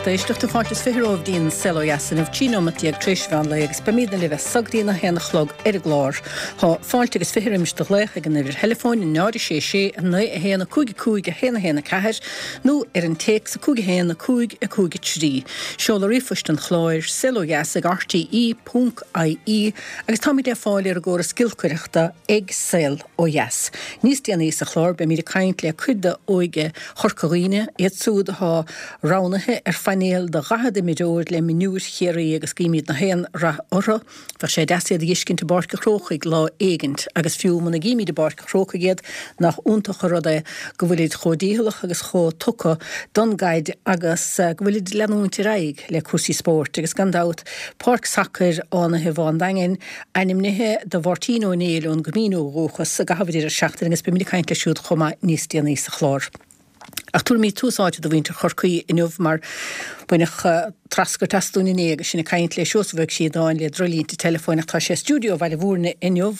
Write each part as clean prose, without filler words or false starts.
lucht éisteachta, fáilte is 20 romhaibh dtí'n Saol Ó Dheas inniu, 13 nóimeat tar éis mheán lae agus beimídne libh as so go dtí'n 1 a chlog ar an gclár. Tá fáilte agus 20 roimis do ghlaoch ag an uimhir theileafóin 0 6 6 9 1 5 5 1 1 4 nó ar an téacs 5 1 5 5 3. Seoladh ríomhphoist an chláir, saolodheas ag rte ponc ie agus táimid le fáil ar an gcóras giolcaireachta ag Saol Ó Dheas. Níos déanaí sa chlár beimid ag caint le cuid de óige Chorca Dhuibhne, iad siúd atá roghnaithe ar phainéal de 40 imreoir le mionúir Chiarraí agus guímid na haon rath orthu. Bheadh sé deas iad a dh'fheiscint i bPáirc a' Chrócaigh lá éigint agus fiú muna gcímid i bPáirc a' Chrócaigh iad nach iontach an rud é go bhfuilid chomh dícheallach agus chomh tugtha don gcaid agus go bhfuilid ag leanúint ar aghaidh le cúrsaí spóirt agus gan dabht páirc sacair Fhánaithe Bhá an Daingin ainmnithe do Mháirtín Ó Néill ón gCoimín ó dhúchas i gcaitheamh an deireadh seachtaine agus beimid ag caint leis siúd chomh maith níos déanaí sa chlár. Ach tabharfaimid tús áite do mhuintir Chorcaí inniu mar baineadh treascairt as dúinn inné agus sinn ag caint le Seosamh Ó Críodáin le droichlínte teileafóin ach tá sé i stiúideo Bhaile Mhúirne inniu.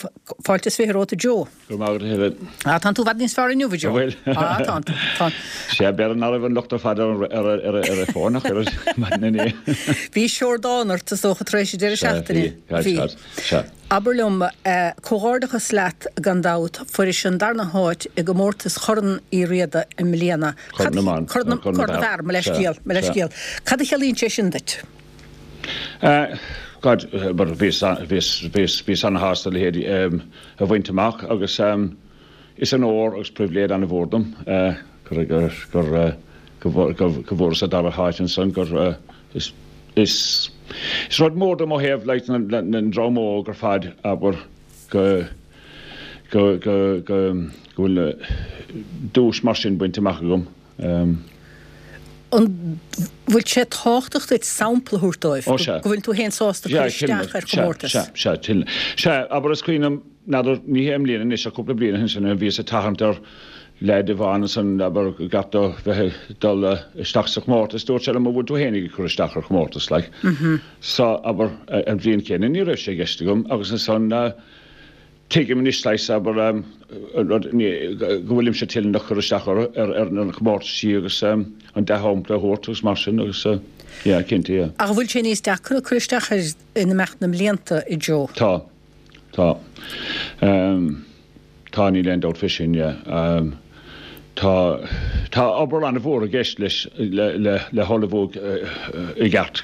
Fáilte is 20 romhat a Joe. Go raibh maith agat a Helen. Ah, tánn tú i bhfad níos fearr inniu a Joe. An bhfuil? Ah, tánn tú. Tánn. Sea, b'fhéidir nach raibh an locht ar fad ar ar ar an bhfón ach ar maidin inné. Bhí seordán ort is dócha tar éis an deireadh Sea, seachtaine. bhí. Bhí. Sea, sea. Abair liom, comhghairdeachas leat gan dabht, fuairis an darna háit i gcomórtas Chorn Uí Riada i mbliana. Corn na mBan. Corn na bhFear, mo leithscéal, mo leithscéal. Cad a chiallaíonn sé sin duit? God, bhíos, bhíos, bhíos, bhíos ana-shásta a leithéid a bhaint amach agus is onóir agus pribhléid ana-mhór dom gur, gur, gur, go, go bhfuaireas an dara háit ansan, gur, Is is rud mór dom ó thaobh like na na ndream óg ar fad abair go go go go go bhfuil duais mar sin bainte amach agam. An bhfuil sé tábhachtach duit sampla a thabhairt dóibh Ó sea. go bhfuil tú féin sásta cur isteach ar chomórtas? Sea, sea, sea, sea, abair is cuimhin liom N'fheadar, ní hé i mbliana anois ach cúpla bliain ó shin sin a bhíos ag tathant ar leaid amháin ansan, abair, gach do bheith ag dul isteach sa chomórtas, dúirt sé liom, an bhfuil tú fhéinig ag cur isteach ar chomórtas, like. So, abair, an bhliain chéanna ní raibh sé i gceist agam agus ansan tuigim anois saghas, abair, an rud, go bhfuilimse toilteanach cur isteach ar, ar na comórtaisí agus an dea-shampla a thabhairt agus mar sin agus, yeah, cinnte, yeah. Ach an bhfuil sé níos deacra cur isteach air in imeacht na mblianta, a Joe? Tá. Tá. Tá, níl aon dabht fé sin, yeah. Tá, tá obair an-mhór i gceist leis, le, le, le hullmhú i gceart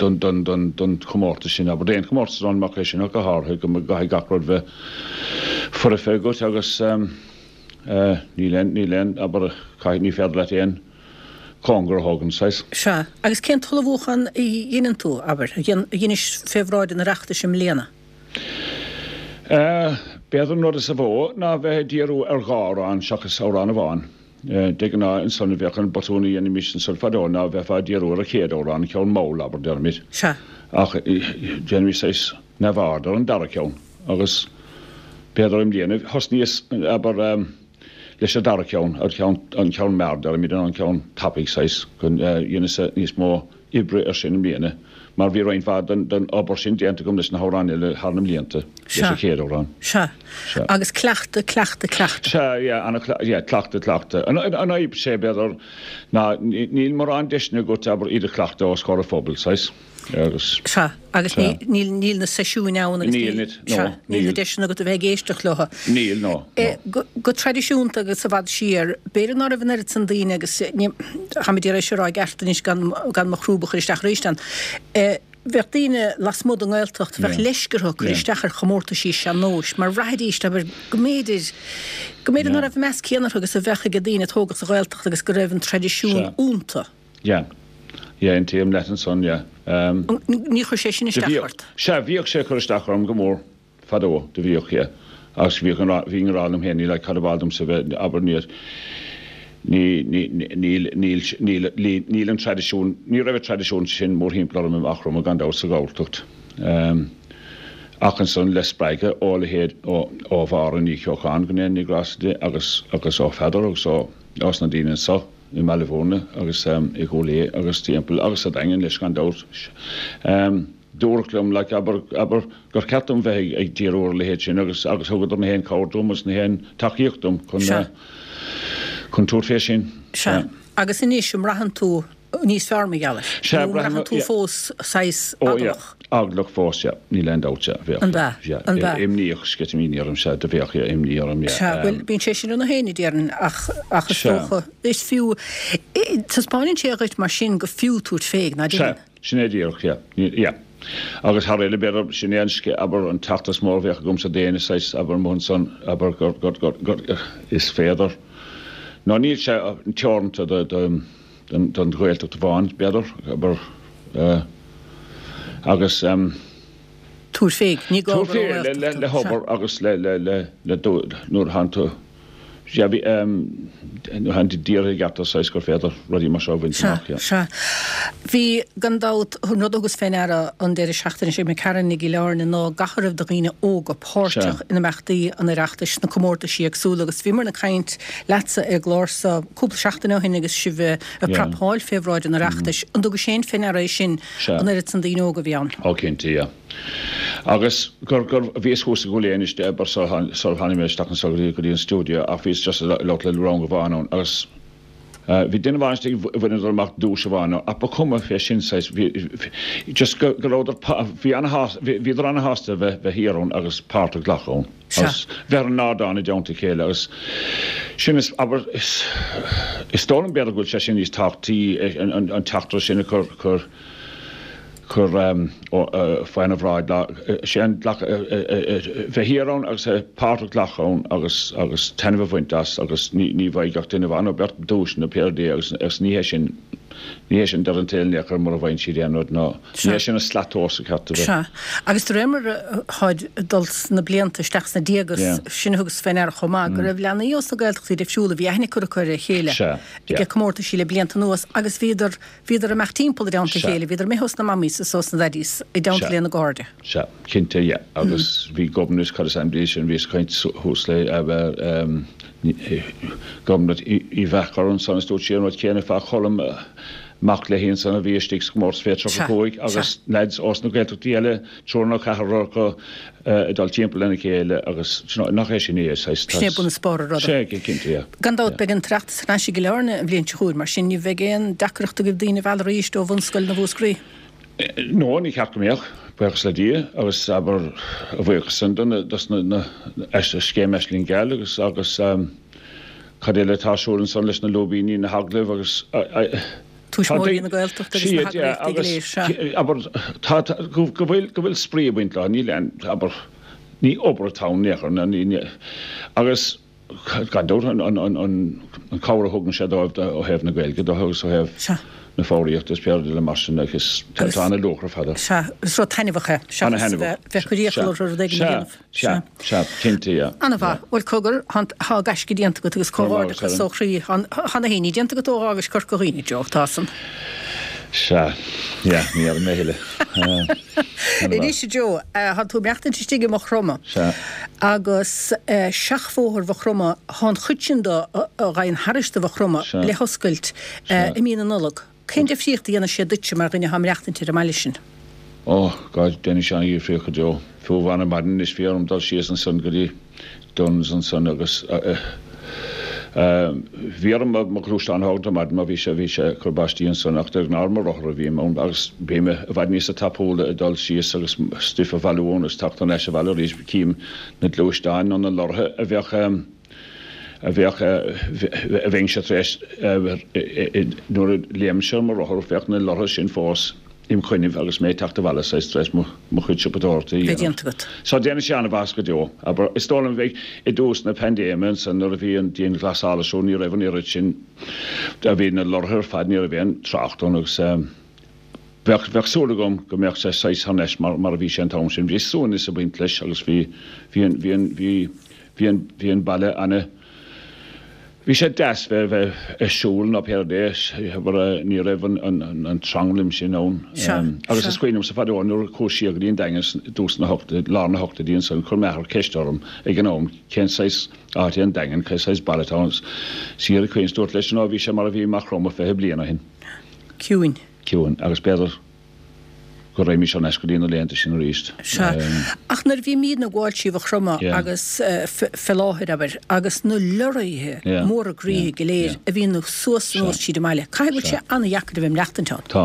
don, don, don, don chomórtas sin, abair, d'aon chomórtas ann amach é sin ach go háirithe go gcaithfidh gach rud bheith foirfe agat agus níl aon, níl aon, abair, caithfidh, ní féidir leat aon cóngar a thógaint, saghas. Sea. Agus cén t-ullmhúchán a dheineann tú, abair, a dheinis fé bhráid an Oireachtais i mbliana? B'fhéidir an rud is mó ná bheith ag díriú ar dhá amhrán seachas amhrán amháin. De ghnáth ansan a bheadh an botún a dhéanaimis ansan fadó ná bheifeá ag díriú ar an chéad amhrán, an ceann mall, abair, deirimid. Sea. Ach déanaimis saghas neamhaird ar an dara ceann agus b'fhéidir i mbliana thosnaíos, abair, leis an dara ceann, an ceann, an ceann mear, deirimid, an ceann tapaidh saghas, go dheineas níos mó oibre ar sin i mbliana mar bhí roinnt mhaith den obair sin déanta agam leis na hamhráin eile thar na mblianta, leis an chéad amhrán. Sea. Sea. Agus cleachtadh, cleachtadh, cleachtadh. Sea, yeah, ana, yeah, cleachtadh, cleachtadh. An fhadhb sé, b'fhéidir, ná níl mórán deiseanna agat, abair, iad a chleachtadh os comhair an phobail, saghas. Agus. Sea, agus Sea. níl, níl na seisiúin ann agus Níl, níl, níl, no, sea, níl na níl. deiseanna agat a bheith ag éisteacht leo. Níl, no, no. Go, go traidisiúnta agus i bhfad siar, b'fhéidir ná raibh an oiread san daoine agus ní, táimid ag iarraidh seo a rá i gceart anois gan, gan mo chrúb a chur isteach arís ann. Bheadh daoine lasmuigh den nGaeltacht, bheadh Yeah. leisce orthu cur Yeah. isteach ar chomórtaisí sean-nóis mar bhraithidís, abair, go mb'fhéidir, go mb'fhéidir Yeah. ná raibh an meas céanna orthu agus a bheadh ag daoine a tógadh sa Ghaeltacht agus go raibh an traidisiún Sea. iontu. Yeah. Yeah, aontaím leat ansan, yeah. Um. Níor chuir sé sin Do isteach bhíodh, ort? sea, bhíodh sé ag cur isteach orm go mór fadó, do bhíodh, yeah. Agus bhíodh an, bhínn ag rá liom féin, like, cad ab áil domsa bheith, abair, níor, ní, ní, níl, níl, níl, níl an traidisiún, ní raibh an traidisiún sin mórthimpeall orm i Eachroim gan dabht sa Ghalltacht. Um, ach ansan le spreagadh ó leithéid, ó, ó Mháire Ní Cheocháin, go ndéana Dia grásta di, agus, agus ó Pheadar agus ó, ós na daoine anso, i mBaile Mhúirne agus i gCúil Aodha agus timpeall agus sa Daingean leis gan dabht. Dúradh liom like abair, abair gur cheart dom bheith ag díriú ar a leithéid sin agus agus thugadar na haon cabhair dom agus na haon tacaíocht dom chun Sea. chun tabhairt fé sin. Sea. Agus anois, an mbraitheann tú. níos fearr mar gheall air. Sea, Nó an braithim, mbraitheann tú yeah. fós saghas Ó, yeah. eaglach? Eaglach fós, yeah. Níl aon dabht, yeah. Bheadh, An b'ea? yeah. An b'ea? Imníoch, sceitimíní orm, sea, do bheadh, yeah, imní orm, yeah. Sea, bhuel, bíonn sé sin ar na héinne, déarfainn, ach, ach is Sea. dócha, is fiú, taispeánann sé dhuit mar sin gur fiú tabhairt fé, ná Sea, déarfainn? sin é díreach, yeah. Ní, yeah. Agus thar uile, b'fhéidir, sin é an sce, abair, an teachtaireacht is mó a bheadh agamsa d'éinne, saghas, abair, amuigh ansan, abair, gur, gur, gur, gur, is féidir. Nó níl sé teoranta do, do, don Ghaeltacht amháin, b'fhéidir, abair, agus. Tabhair fé, ní gá Tabhair gur fé ón nGaeltacht le tú, hobair sea. agus le, le, le, le do, nuair a thánn tú, sea, bhí, nuair a thánn tú dírithe i gceart saghas gur féidir rudaí mar seo a bhaint Sea, amach, yeah. sea. Bhí, gan dabht, an rud a thugas fé ndeara an deireadh seachtaine seo imigh tharainn i gCill Airne ná gach a raibh de dhaoine óga páirteach Sea. in imeachtaí an Oireachtais, sna comórtaisí éagsúla agus bhíomar ag caint leatsa ar an gclár so cúpla seachtain ó shin agus sibh ag Yeah. prapáil fé bhráid an Oireachtais. An dtugais féin fé ndeara é sin, Sea. an oiread san daoine óga a bhí ann? Ó cinnte, yeah. Agus gur, gur, bhíos thuas i gCúil Aodha anois, abair, sular tháinig mé isteach anseo go dtí, go dtí an stiúideo ach bhíos just ag labhairt le rang amháin ann agus bhí duine amháin istigh bhaineadar amach duais amháin ach ba chuma fé sin saghas, bhí, just go, go rabhadar, bhí ana-shásta, bhíodar ana-shásta bheith, bheith thiar ann agus páirt a ghlacadh ann Sea. agus bheith ar an ardán i dteannta a chéile agus sin is, abair, is, is dóigh liom b'fhéidir go bhfuil sé sin níos tábhachtaí, an, an, an teachtaireacht sin a chur, chur, chur faoina bhráid ná sé an bheith thiar ann agus páirt a ghlacadh ann agus agus taitneamh a bhaint as agus ní ní bhfaighidh gach duine amháin nó beirt duais nó pé rud é agus agus ní hé sin ní hé sin deireadh an tsaoil in aon chor mura bhfaigheann siad aon rud ná ní hé sin an slat tomhais is ceart a bheith. Sea. Agus de réir mar atáid ag dul sna blianta isteach sna déaga Yeah. sin a thugas fé ndeara chomh maith go raibh leanaí ós na Gaeltachtaí difriúla bhí aithne curtha acu ar a chéile Sea. ag Yeah. comórtaisí le blianta anuas agus bhíodar Bhíodar ag imeacht timpeall i dteannta a Sea. chéile, bhíodar imithe ós na mamaís is ós na daidís i dteannta Sea. lena gcairde. Sea, cinnte, yeah. Agus bhí Gobnait, cad is ainm di sin, bhíos ag caint thuas léi, Gobnait Uí Mheachair ansan is dúirt sí an rud céanna fá Cholm, mac léi ansan a bhí istigh sa chomórtas fé Sea, 35 sea. agus leaids ós na Gaeltachtaí eile, triúr nó ceathrar acu, ag dul timpeall lena chéile agus nach é sin é, saghas, Sin é bun is barr an ruda. Sea, cinnte, yeah. Gan dabht, beidh an tOireachtas thar n-ais i gCill Airne an bhliain seo chugainn, mar sin ní bheidh aon deacracht agaibh daoine a mhealladh arís ó Bhunscoil na Mhúscraí. No, ní ceart go mbeadh, buíochas le Dia, agus abair, a bhuíochas san do na, dos na, na, scéim Aisling Gheal agus, agus cad eile atá ar siúl ansan leis na lúibíní, na hagallaimh agus, Tuismitheoirí na Gaeltachta agus na heagraíochtaí go léir, sea. Abair, tá, tá, go bhfuil, go bhfuil spraoi ag baint leo, níl aon, abair, ní obair atá ann in aon chor, ní, ní, agus gan dabht an, an, an, an, an cabhair a thugann sé dóibh ó thaobh na Gaeilge de agus ó thaobh Sea. na foghraíochta is pé rud eile mar sin agus tá, tá ana-luach ar fad air. Sea, is rud taitneamhach é, seachas a bheith, bheith ag cur iachall orthu rud éigin a dhéanamh. Sea, sea, cinnte, yeah. Ana-mhaith. Bhuel, cogar, tá gaisce déanta agat agus comhghairdeachas ó chroí. Tá na héinní déanta agat ó dh'fhágais Corca Dhuibhne, Joe, tá san. Sea, yeah, ní fheadar mé a thuilleadh. Anois, a Joe, tá tú ag maireachtaint istigh i Maigh Chromtha. Sea. Agus seachbhóthar Mhaigh Chromtha, tá an chuid sin de a ghabhann thairis do Mhaigh Chromtha le hoscailt i mí na Nollag. Cén difríocht a dhéanfaidh sé duitse mar dhuine atá ag maireachtaint ar an mbaile sin? Ó, God, déanfaidh sé an-dhifríocht go deo. Fiú amháin ar maidin anois bhí orm dul síos ansan go dtí Dunnes ansan agus bhí orm mo ghluaisteán a thógaint ar maidin mar bhí sé, bhí sé ag cur báistí ansan ach de ghnáth ar mo rothar a bhím ann agus bím i bhfad níosa tapúla ag dul síos agus stuif a bhailiú ann agus teacht thar n-ais abhaile arís. Cím na gluaisteáin nó na lorraithe a bheadh. a bheadh, a bheinnse tar éis, nuair a léimimse ar mo rothar, bheadh na lorraithe sin fós im choinnibh agus mé ag teacht abhaile saghas tar éis mo chuid siopadóireachta a Bheith dhéanamh. déanta agat. So déanfaidh sé an-mhaitheas go deo. Abair, is dóigh liom bheidh i dtús na paindéime ansan nuair a bhí an dianghlasáil ar siúl ní raibh an oiread sin, bhí na lorraithe ar fad, ní raibh aon trácht ann agus bheadh, bheadh súil agam go mbeadh sé saghas thar n-ais mar, mar a bhí sé an t-am sin. Bhí suaimhneas ag baint leis agus bhí, bhí an, bhí an, bhí, Bhí an, bhí an baile ana, bhí sé deas bheith, bheith ag siúl nó pé rud é, mar ní raibh an, an, an tranglam sin ann. Sea, Agus sea. is cuimhin liomsa fadó nuair a chuas siar go dtí an Daingean i dtús na hochtaidí, lár na hochtaidí ansan, chuir m'athair ceist orm ag an am cén saghas áit é an Daingean, cén saghas baile atá ann. Siar ag caoineadh, dúrt leis, nó bhí sé mar a bhí Maigh Chromtha 20 bliain ó shin. Ciúin. Ciúin, agus b'fhéidir. Go raghaimís thar n-ais go dtí na laethanta sin arís. Sea. Ach nuair a bhímídne ag gabháil trí Mhaigh Chromtha agus fé láthair, abair, agus na lorraithe móra groíthe go léir a bhíonn suas anuas tríd an mbaile, caithfidh go bhfuil sé an-dheacair a bheith ag maireachtaint ann. Tá.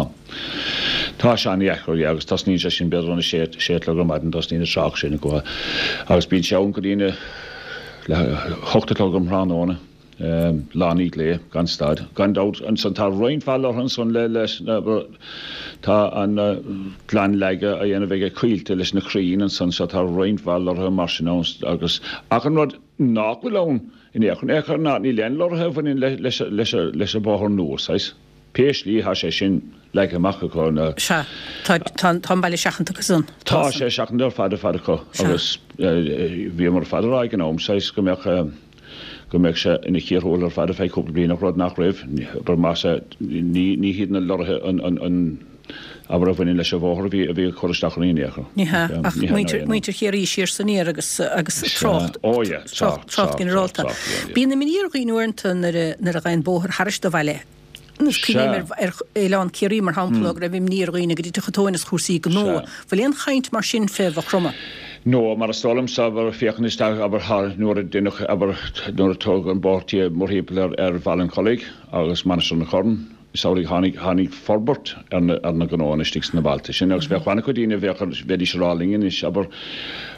Tá sé an-dheacair, yeah, agus tosnaíonn sé sin b'fhéidir óna sé, sé a chlog ar maidin, tosnaíonn an trácht sin go, agus bíonn sé ann go dtí na, le hocht a chlog um thráthnóna. Lá i ndiaidh lae, gan stad. Gan dabht, ansan tá roinnt mhaith lorraithe ansan le, leis na, tá an glanleagadh á dhéanamh aige Coillte leis na crainn ansan so tá roinnt mhaith lorraithe mar sin ann agus, ach an rud nach bhfuil ann in aon chor, in aon chor ná níl aon lorraithe a bhaineann le, leis, leis, leis an bhóthar nua, saghas. Pé slí thá sé sin leagtha amach acu na. Sea, tá, tá, tá an baile seachanta acu san. Tá sé seachanta ar fad, ar fad acu agus bhíomar ar fad a rá ag an am, saghas, go mbeadh, go mbeadh sé ina chíor thuathail ar fad ar feadh cúpla bliain ach rud nach raibh, abair, más ea, ní, ní hiad na lorraithe an, an, an, abair, a bhaineann leis an bhóthar a bhí, a bhí ag cur isteach orainn in aon chor. Ní hea, ach muintir, muintir Chiarraí siar 's aniar agus, agus trácht, Ó yeah, trácht, trácht ginearálta. Bíonn imní ar dhaoine uaireanta nuair a, nuair a ghabhann bóthar thairis do bhaile. Is cuimhin liom ar Oileán Ciarraí, mar shampla, go raibh imní ar dhaoine go dtitfeadh an tóin as chúrsaí gnó. Bhfuil aon chaint mar sin fé Mhaigh Chromtha? No, mar is dóigh liomsa, abair, féachaint isteach, abair, thar, nuair a deineadh, abair, nuair a tógadh an bóthar mórthimpeall ar, ar Bhaile an Chollaigh agus Mainistir na Corann, is amhlaidh tháinig, tháinig forbairt ar na, ar na gnóanna istigh sna bailte sin agus bheadh an-chuid daoine a bheadh, bheidís ag rá linn anois, abair,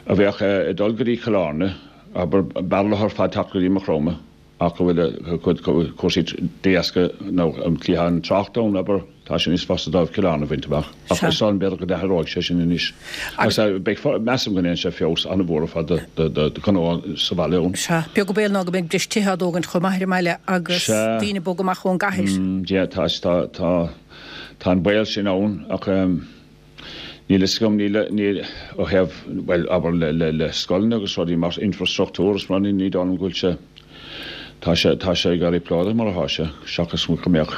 a bheadh ag dul go dtí Cill Airne, abair, b'fhearr leo ar fad teacht go dtí Maigh Chromtha. Ach go bhfuil cúrsaí de dheasca nó an cliathán tráchta ann, abair, tá sé níos fusa dóibh Cill Airne a bhaint amach. Ach is dóigh liom b'fhéidir go n-athróidh sé sin anois. Agus beidh, measaim go ndéanfaidh sé feabhas an-mhór ar fad do ghnó sa bhaile ann. Sea. Beag an baol ná go mbeidh breis tithe á dtógaint chomh maith ar an mbaile agus daoine ag bogadh amach ón gcathair. Sea, tá, tá, tá an baol sin ann ach. Níl fhios agam, níl, níl, ó thaobh, bhuel, abair le, le, le scoileanna agus rudaí mar, infrastruchtúr is mar, ní dóigh liom go bhfuil sé, tá sé, tá sé ag éirí plódaithe mar atá sé, seachas go mbeadh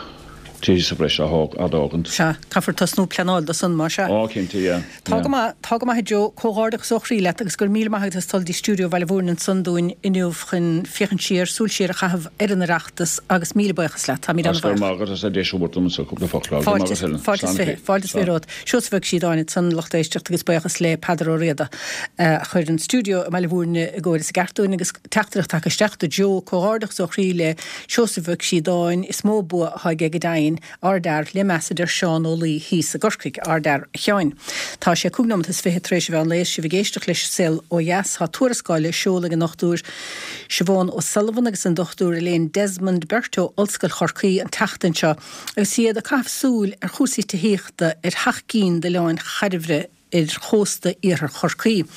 tithe sa bhreis á thóg, á dtógaint. Sea, caithfear tosnú pleanáil do san, más ea. Ó, cinnte, yeah, Tá go maith, tá go maith a Joe, comhghairdeachas ó chroí leat agus go raibh míle maith agat as dul dtí stiúideo Bhaile Mhúirne ansan dúinn inniu chun féachaint siar, súil siar a chaitheamh ar an Oireachtas agus míle buíochas leat. Táimid Agus go raibh maith agat as an deis a thabhairt dom anso cúpla focal a rá. Go raibh maith agat Helen. Fáilte is 20, fáilte is 20 romhat. Seosamh Ó Síodáin ansan, lucht éisteachta agus buíochas le Peadar Ó Riada a chuir an stiúideo i mBaile Mhúirne i gcóir is i gceart dúinn agus teachtaireacht tagtha isteach do Joe, comhghairdeachas ó chroí le Seosamh Ó Síodáin, is mó bua atá aige go deimhin. Ardfhear le meas a deir Seán Ó Laoi thíos i gCorcaigh. Ardfhear, a Sheáin. Tá sé 25 nóimeat tar éis an mheán lae is sibh ag éisteacht leis Saol Ó Dheas. Tá tuarascáil le seoladh ag an Dr Siobhán O'Sullivan agus an Dr Elaine Desmond, beirt ó Ollscoil Chorcaí, an tseachtain seo agus iad ag caitheamh súil ar chúrsaí tithíochta ar sheacht gcinn d'oileáin chairbhre ar chósta iarthar Chorcaí,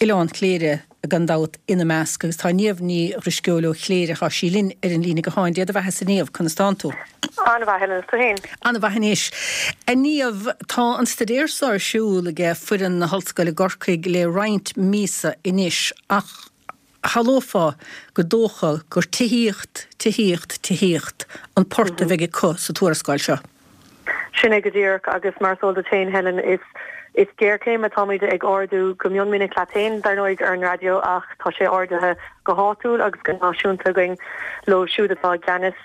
Oileán Chléire gan dabht ina measc, agus tá Niamh Ní Dhrisceoil ó Chléire, tá sí linn ar an líne gutháin. Dé do bheatha-sa a Niamh, conas tánn tú? An-mhaith, Helen, is tú féin? An-mhaith anois. A Niamh, tá an staidéar so ar siúl ag foireann na hOllscoile i gCorcaigh le roinnt míosa anois, ach shamhlófá gur dócha gur tithíocht, tithíocht, tithíocht an port a bheidh acu sa tuarascáil seo. Sin é go díreach, agus mar is eol duit féin, Helen, is is géarchéim atáimid ag ardú go mion minic leat féin, dar ndóigh, ar an raidió, ach tá sé ardaithe go háitiúil agus go náisiúnta againn leo siúd atá i gceannas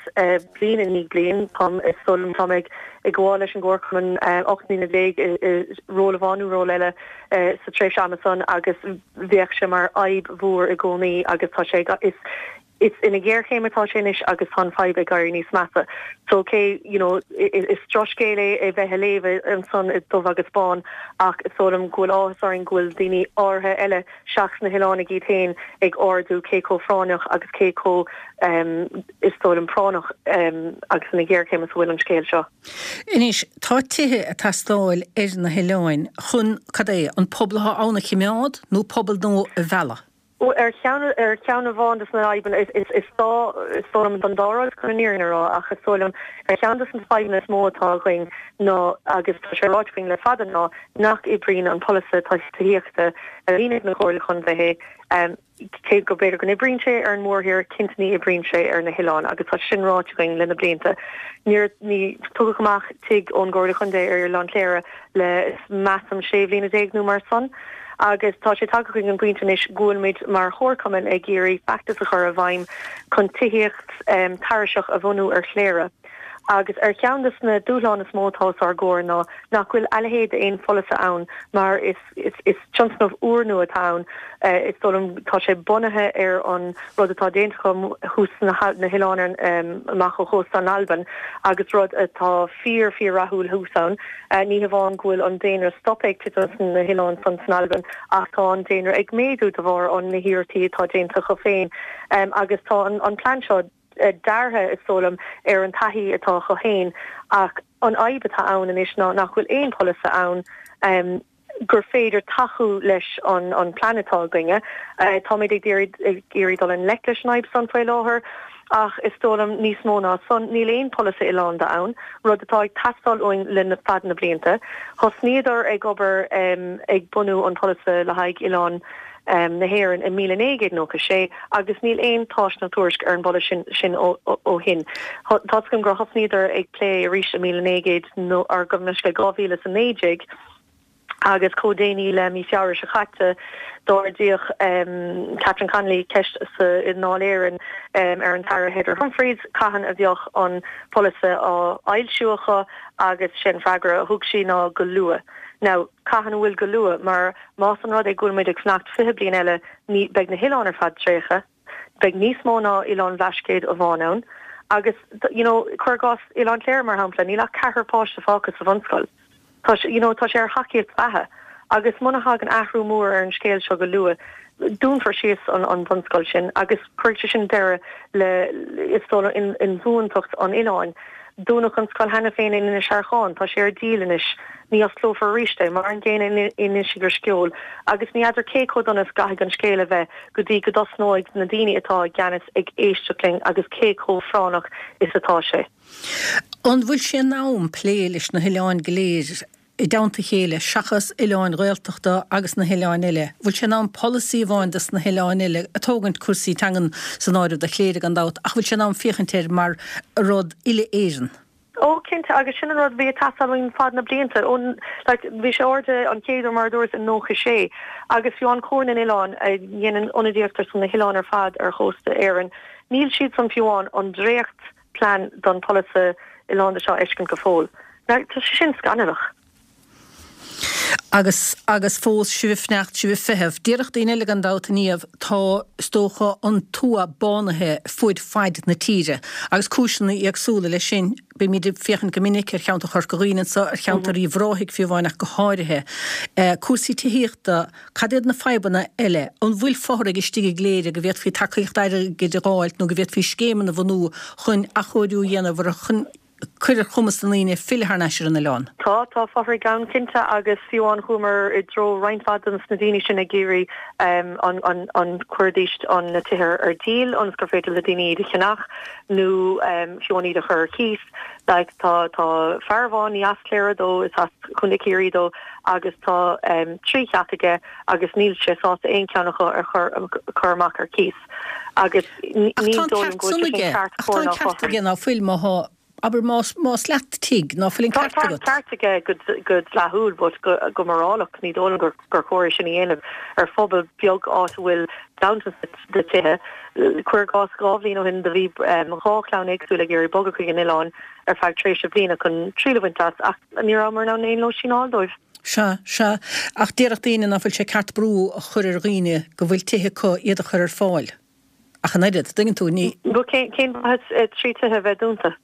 bliain i ndiaidh bliain. Táim, is dóigh liom, tá mé ag gabháil leis an gcomharchumann 18 mbliana i ról amháin nó ról eile sa tréimhse ama san agus bheadh sé mar fhadhb mhór i gcónaí agus tá sé is is ina ghéarchéim atá sé anois agus tá an fadhb ag éirí níos measa. So cé you know is drochscéal é é bheith a léamh ansan i dubh agus bán ach is dóigh liom go bhfuil áthas orainn go bhfuil daoine áirithe eile seachas na hoileánaigh iad féin ag ardú cé chomh phráinneach agus cé chomh is dóigh liom práinneach agus ina ghéarchéim is a bhfuil an scéal seo. Anois, tá tithe ag teastáil ar na hoileáin chun, cad é, an pobal atá ann a chimeád nó pobal nua a mhealladh? Ar cheann, ar cheann amháin de na fadhbanna, is, is, is dá, is dóigh liom don dá rud chun an fhírinne a rá, ach is dóigh liom ar cheann de na fadhbanna is mó atá againn ná, agus tá sé ráite againn le fada, ná nach oibríonn an polasaí tithíochta a bhíonn ag na Comhairle Contae, Cé go b'fhéidir go n-oibríonn sé ar an mórthír, cinnte ní oibríonn sé ar na hoileáin agus tá sin ráite againn le na blianta. Níor, ní tugadh amach tigh ón gComhairle Chontae ar Oileán Chléire le, measaim, sé bhliana déag nó mar san. Agus tá sé tagtha chuig an bpointe anois go bhfuil muid mar chomharchumann ag iarraidh feachtas a chur i bhfeidhm chun tithíocht tairiseach a bhunú ar Chléire. Agus ar cheann de na dúshláin is mó atá os ár gcomhair ná nach bhfuil a leithéid d'aon pholasaí ann mar is is tionscnamh úrnua atá ann. Is dóigh liom tá sé bunaithe ar an rud atá déanta acu thuas sna na hoileáin amach ó chósta na hAlban agus rud atá fíor fíor rathúil thuas ann. Ní hamháin go bhfuil an daonra stoptha ag titim sna hoileáin san san Albain ach tá an daonra ag méadú de bharr an na hiarrachtaí atá déanta acu féin agus tá an plean seo deartha, is dóigh liom, ar an taithí atá acu féin ach an fhadhb atá ann anois ná nach bhfuil aon pholasaí ann gur féidir tacú leis an plean atá againne. Táimid ag iarraidh dul i ngleic leis an fhadhb san faoi láthair ach is dóigh liom níos mó ná san, níl aon pholasaí oileánda ann, rud atá ag teastáil uainn le fad na blianta. Thosnaíodar ag obair ag bunú an pholasaí le haghaidh oileán na hÉireann i 1996 agus níl aon tásc ná tuairisc ar an bpolasaí sin ó shin. Tá's agam gur thosnaíodar ag plé arís i 1900 nó ar gabh mo leithscéal 2019 agus chomh déanaí le mí Feabhra seo caite d'ardaíodh Catherine Connolly ceist sa i nDáil Éireann ar an tAire Heather Humphreys cathain a bheadh an polasaí á fhoilsiú acu agus sé an freagra a thug sí ná go luath. Now cathain a bhfuil go luath mar Más an rud é go bhfuil muid ag fanacht 20 bliain eile, ní, beidh na hoileáin ar fad tréigthe, beidh níos mó ná Oileán Bhlascaoid amháin ann, agus, you know, cuir i gcás Oileán Chléire, mar shampla, níl ach ceathrar páiste fágtha sa bhunscoil. Tá sé, you know, tá sé ar thacaíocht bheatha. Agus muna thagann athrú mór ar an scéal seo go luath, dúnfar síos an, an bhunscoil sin agus cuirfidh sé sin deireadh le, is dóigh liom, inbhuantacht an oileáin. Dúnadh an scoil cheana féin in Inis Arcáin, tá sé ar díol anois, ní osclófar arís é, mar an gcéanna in Inis Drisceoil, agus ní fheadar cé chomh dona is a gcaithfidh an scéal a bheith go dtí go dtosnóidh na daoine atá i gceannas ag éisteacht linn agus cé chomh práinneach is atá sé. An bhfuil sé in am plé leis na hoileáin go léir i dteannta a chéile, seachas oileáin Ghaeltachta agus na hoileáin eile? Bhfuil sé in am polasaí amháin dos na hoileáin eile, ag tógaint cúrsaí teangan san áireamh do Chléire gan dabht, ach bhfuil sé in am féachaint air mar rud uile-Éireann? Ó, cinnte, agus sin an rud a bhí ag teastáil uainn fad na blianta. Ó, like, bhí sé ardaithe an chéad uair mar a dúras i 96, agus fiú an Comhar na nOileán a dhéanann ionadaíocht ar son na hoileáin ar fad ar chósta Éireann, níl siadsan fiú amháin an dréacht plean don pholasaí oileánda seo a fheiscint go fóill. Now, tá sé sin scannalach. Agus, agus fós sibh ag fanacht, sibh ag feitheamh. Déarfadh daoine eile gan dabht, a Niamh, tá, is dócha, an tuath bánaithe fuaid faid na tíre, agus cúiseanna éagsúla leis sin. Bímid ag féachaint go minic ar cheantar Chorca Dhuibhne anso, ar cheantar Uíbh Ráthaigh fiú amháin ach go háirithe. Cúrsaí tithíochta, Cad iad na fadhbanna eile? An bhfuil fothraigh istigh i gCléire go bhféadfaí tacaíocht airgid a dh'fháilt nó go bhféadfaí scéimeanna a bhunú chun athchóiriú a dhéanamh orthu chun cur ar chumas na ndaoine filleadh thar n-ais ar an oileán? Tá, tá fothraigh ann cinnte agus fiú amháin chuamar i dtreo roinnt mhaith de na daoine sin ag iarraidh an, an, an gcuirfidís an, na tithe ar díol ionas gur féidir le daoine iad a cheannach nó fiú amháin iad a chur ar cíos. Like tá, tá fear amháin, ní as Cléire dó, is as Contae Chiarraí dó, agus tá 3 theach aige agus níl sé sásta aon cheann acu a chur amach ar cíos agus ní dóigh liom go bhfuil sé sin ceart cóir ná cothrom. Ach tá an ceart aige ná fuil má thá, abair más, más leat tigh, ná fuil an ceart agat? Tá an ceart aige go dleathúil but go morálach ní dóigh liom gur chóir é sin a dhéanamh ar phobal beag áit a bhfuil ganntanas de tithe. Cuir i gcás 2 bhliain ó shin do bhí 2 chlann éagsúil ag iarraidh bogadh chuig an oileán ar feadh tréimhse bliana chun triail a bhaint as ach ní rabhamar in ann aon lóistín a fháil dóibh. Sea, sea. Ach déarfadh daoine ná fuil sé ceart brú a chur ar dhaoine go bhfuil tithe acu iad a chur ar fáil. Ach an oiread, dtuigeann tú, ní. Bhuel, cén mhaitheas 3 tithe a bheith dúnta?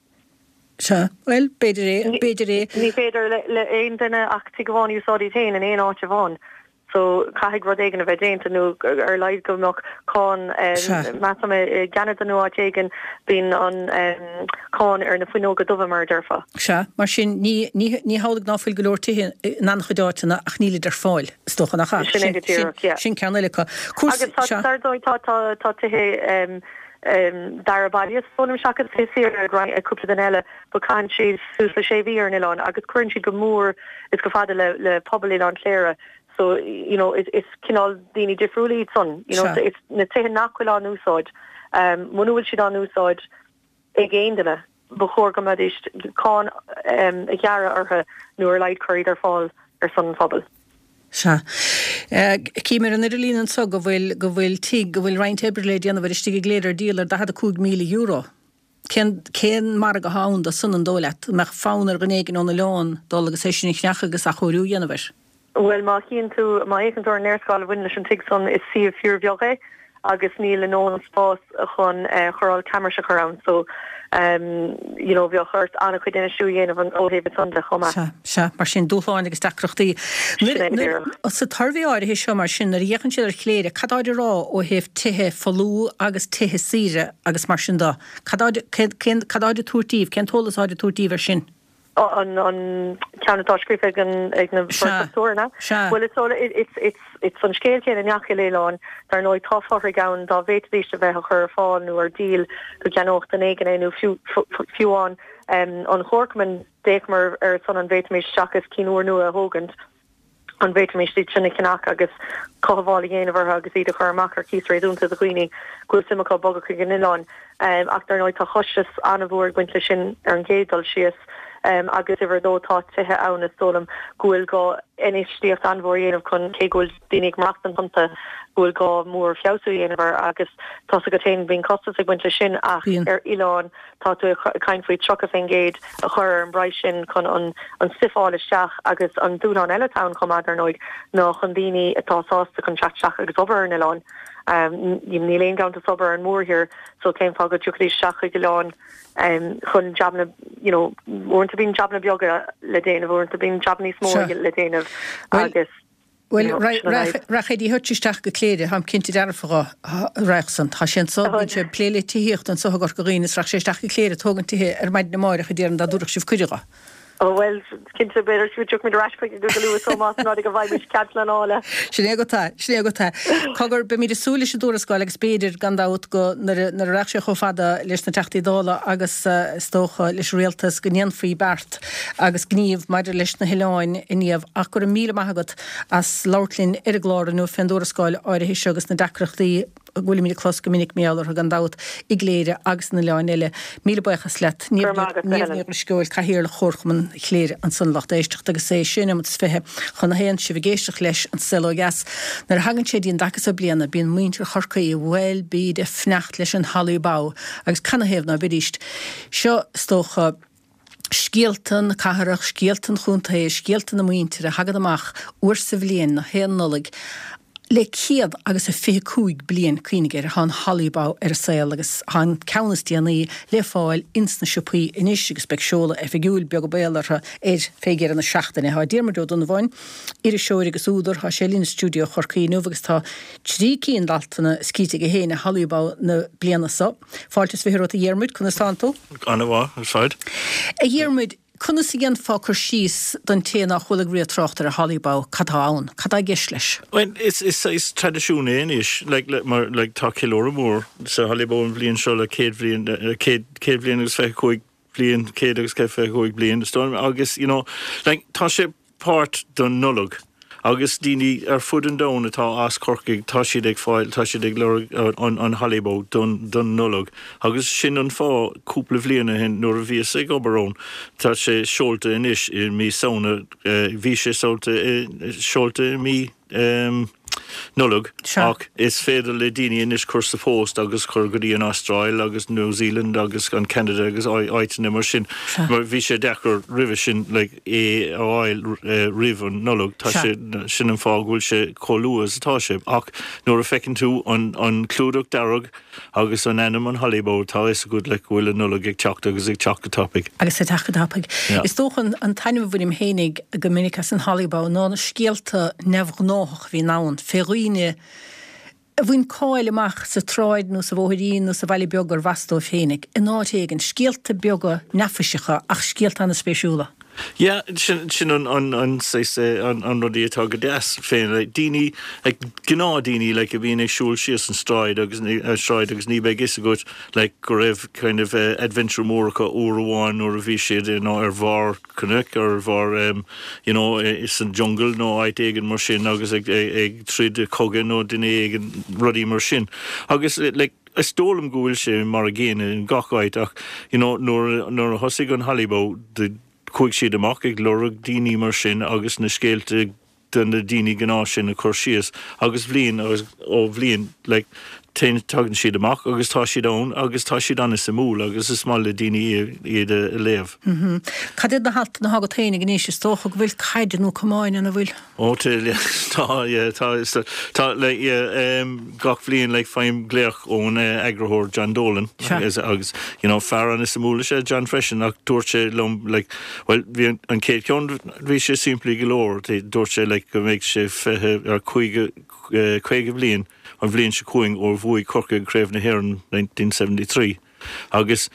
Sea, bhuel, b'fhéidir é, b'fhéidir é. Ní féidir le aon duine ach tigh amháin a úsáid iad féin in aon áit amháin. So, caithfidh rud éigin a bheith déanta, nó ar a laghad go mbeadh cáin, measaim i gCeanada nó áit éigin, bíonn an cáin ar na fuinneoga dubha, mar a déarfá. Sea, mar sin, ní, ní, ní hamhlaidh ná fuil go leor tithe in an-chuid áiteanna ach nílid ar fáil, is dócha, nach ea? Sin é go díreach, yeah. Sin ceann eile acu. Cúrsaí, Agus tá, sea. dar ndóigh, tá, tá, tá tithe dara baile, is dóigh liom, seachas tithe saoire ag roinnt, ag cúpla duine eile, but caitheann siad suas le sé mhí ar an oileán agus cuireann siad go mór is go fada le le pobal Oileán Chléire so you know is is cineál daoine difriúla iad san you know so it's na tithe nach bhfuil á n-úsáid um muna bhfuil siad á n-úsáid ag aon duine ba chóir go mbeidís cáin um a ghearradh orthu nó ar a laghad cur iad ar fáil ar son an phobail. Sea. Cím ar an idirlíon anso go bhfuil go bhfuil tigh go bhfuil roinnt oibre le déanamh air istigh i gCléire ar díol ar €45,000. Cén, cén margadh atá ann dó san, an dóigh leat? An mbeadh fonn ar dhuine éigin ón oileán dul agus é sin a cheannach agus athchóiriú a dhéanamh air? Bhuel, má chíonn tú, má fhéachann tú ar an léarscáil a bhaineann leis an tigh san, is suíomh fíorbheag é agus níl a ndóthain spás chun chóireáil camrais a chur ann so you know bheadh ort an-chuid infheistiú a dhéanamh ó thaobh san de chomh maith. Sea, sea, mar sin, dúshláin agus deacrachtaí. Sin é go díreach. Sa tsuirbhé áirithe seo, mar sin, nuair a fhéachann siad ar Chléire, cad táid a rá ó thaobh tithe folmha agus tithe saoire agus mar sin de? Cad táid, cén, cad táid ag tabhairt daoibh, cén t-eolas atáid ag tabhairt daoibh air sin? An ceann atá scríofa ag an ag na Sea, dochtúir, an ea? sea. Bhuel, is dóigh, it's, it's, it's an scéal céanna i ngach uile oileán. Dar ndóigh, tá fothraigh ann dá bhféadfaidís a bheith á chur ar fáil nó ar díol go gceannódh duine éigin é nó fiú, fiú amháin an Chomharchumann, d'fhéachamar ar son an bhféadfaimis seachas cinn úrnua a thógaint. an bhféadfaimis iad sin a cheannach agus cothabháil a dhéanamh orthu agus iad a chur amach ar cíos réasúnta do dhaoine go bhfuil suim acu bogadh chuig an oileán. Ach dar ndóigh tá costas an-mhór ag baint leis sin ar an gcéad dul síos agus uimhir a dó tá tithe ann is dóigh liom go bhfuil gá infheistíocht an-mhór a dhéanamh chun cé go bhfuil daoine ag maireachtaint iontu go bhfuil gá mór feabhsú a dhéanamh air agus tá's agat féin bíonn costas ag baint leis sin ach ar oileán Tá tú ag caint faoi 30% a chur ar an bpraghas sin chun an stuif a fháil isteach agus an dúshlán eile atá ann chomh maith, dar ndóigh, ná chun daoine atá sásta chun teacht isteach agus obair ar an oileán. Níl aon ghanntanas obair ar an mórthír so cén fáth go dtiocfaidís isteach chuig oileán chun jabanna, you know, uaireanta bíonn jabanna beaga le déanamh, uaireanta bíonn jabanna níos mó le déanamh agus. Bhuel, rachaidh Eddie Hutch isteach go Cléire, táim cinnte dearfa dho, raghadh san. Tá sé anso, bíonn sé ag plé le tithíocht anso i gCorca Dhuibhne is raghadh sé isteach go Cléire ag tógaint tithe ar maidin amáireach a déarfainn dá dtabharfadh sibh cuireadh dho. Ó bhuel, cinnte, b'fhéidir go dtiocfaimid ar ais chuige go luath so más rud é go bhfaighimid cead pleanála. Sin é agat é, sin é agat é. Cogar, beimid ag súil leis an dtuarascáil agus b'fhéidir, gan dabht, go, nuair a, nuair a raghadh sé chomh fada leis na Teachtaí Dála agus, is dócha, leis an Rialtas, go ndéanfaí beart. agus gníomh maidir leis na hoileáin a Niamh ach go raibh míle maith agat as labhairt linn ar an gclár inniu fén dtuarascáil áirithe seo agus na deacrachtaí a bhfuilimid ag clos go minic mar gheall orthu gan dabht i gCléire agus in oileáin eile. Míle buíochas leat. Go raibh maith agat, a Niamh Helen. Ní Dhrisceoil, Cathaoirleach Chomharchumann Chléire ansan lucht éisteachta agus é sé nóiméad is 20 chun a haon sibh ag éisteacht leis An Saol Ó Dheas. Nuair a thagann sé dtí an dtaca so bliana bíonn muintir Chorcaí, bhuel bíd ag fanacht leis an Holly Bough agus canathaobh ná beidíst. Seo is dócha. Scéalta na cathrach, scéalta an chontae, scéalta na muintire a thagann amach uair sa bhliain, na haon Nollaig, le céad agus a 25 bliain, cuimhnigh air, tá an Holly Bough ar an saol agus tá an ceann is déanaí le fáil ins na siopaí anois agus beidh seoladh oifigiúil, beag an baol orthu, air fé dheireadh na seachtaine. Tá Diarmuid Ó Donnabháin, iriseoir agus údar, tá sé linn i stiúideo Chorcaí inniu agus tá trí cinn d'altanna scríte aige féin ar Holly Bough na bliana so. Fáilte is 20 romhat a Dhiarmuid, conas tánn tú? An-mhaith ar fad. A Dhiarmuid, conas a dhéanfá cur síos don té nár chuala riamh trácht ar an Holly Bough, cad tá ann? Cad tá i gceist leis? Bhuel, is, is saghas traidisiún é anois, like, le, mar, like, tá ceiliúradh mór sa Holly Bough an bhliain seo le 100 bhliain, 100, 100 bhliain agus 25 bliain, 100 agus 25 bliain, is dóigh liom, agus, you know, like, tá sé páirt don Nollaig agus daoine ar fud an domhain atá as Corcaigh, tá siad ag fáil, tá siad ag lorg an, an Holly Bough don, don Nollaig agus sin an fáth cúpla bhliain ó shin nuair a bhíos ag obair ann, tá sé seolta anois i mí Samhna, bhí sé seolta i, seolta i mí. Nollag, ach is féidir le daoine anois cur sa phost agus cur go dtí an Astráil agus New Zealand agus an Canada agus áiteanna mar sin. Mar bhí sé deacair roimhe sin like é a fháil roimh an Nollaig. Tá sé, sin an fáth go bhfuil sé chomh luath is atá sé. Ach nuair a feiceann tú an an clúdach dearg Agus an ainm an Holly Bough, tá a fhios agat like go bhfuil an Nollaig ag teacht agus ag teacht go tapaidh. Agus ag teacht go tapaidh. Yeah. Is dócha an taitneamh a bhainim fhéinig go minic as an Holly Bough ná na scéalta neamhghnáthach a bhíonn ann fé dhaoine a bhain cáil amach sa tsráid nó sa bhóithrín nó sa bhaile beag gurbh as dóibh féinig, in áit éigin. Scéalta beaga neafaiseacha ach scéalta an-spéisiúla. Yeah, sin, sin an, an, an saghas, an, an rudaí atá go deas féin, like, daoine, like, gnáthdaoine, like, a bhíonn ag siúl síos an stráid agus, an sráid agus ní bheidh fhios agat, like, go raibh kind of, eh, adventure mór acu uair amháin nuair a bhí siad, you know, ar bharr cnoic, ar bharr, em, you know, eh, san jungle nó áit éigin mar sin agus ag, ag, ag troid cogadh nó duine éigin, rudaí mar sin. Agus, like, Is dóigh liom go bhfuil sé mar a gcéanna in gach áit ach you know nuair nuair a thosaigh an Holly Bough chuaigh siad amach ag lorg daoine mar sin agus na scéalta de na daoine gnáth sin a chur síos agus bhliain agus ó bhliain like. Téann, tagann siad amach agus tá siad ann agus tá siad an-suimiúil agus is maith le daoine iad a léamh. Cad iad na haltanna atá agat féinig anois? Is dócha go bhfuil caid nó camáin ann, an bhfuil? Ó tá, tá, yeah, tá, tá, like, yeah, gach bhliain, like, faighim glaoch ón eagarthóir John Dolan agus, agus, you know, fear an-suimiúil is ea John freisin ach dúirt sé liom, like, bhuel, bhí an, an chéad cheann, bhí sé simplí go leor, dúirt sé, like, go mbeidh sé 20 ar 50, 50 bhliain an bhliain seo chugainn ó bhuaigh Corcaigh Craobh na hÉireann 1973 agus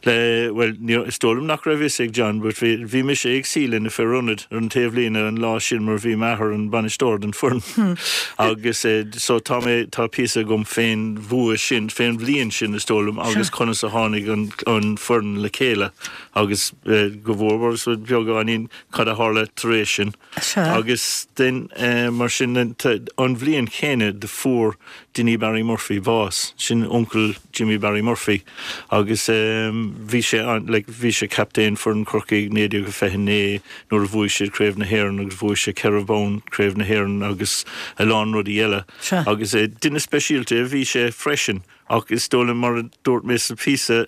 le, bhuel, ní, is dóigh liom nach raibh fhios ag John but bhí, bhí mise ag suí le na fir ionaid ar an taobhlíne an lá sin mar bhí m'athair an bainisteoir den foireann agus so tá mé, tá píosa agam fén bhua sin, fén bhliain sin is dóigh liom agus conas a tháinig an, an foireann le chéile agus go mhór mhór beagáinín cad a tharla tar éis sin. Agus then mar sin an bhliain chéanna do fuair Dinny Barry Murphy bás, sin uncail Jimmy Barry Murphy agus bhí sé an, like bhí sé captaen foireann Chorcaí 1929 nuair a bhuaigh siad Craobh na hÉireann agus bhuaigh sé ceithre bonn Craobh na hÉireann agus a lán rudaí eile. Agus duine speisialta a bhí sé freisin ach is dóigh liom mar a dúirt mé sa phíosa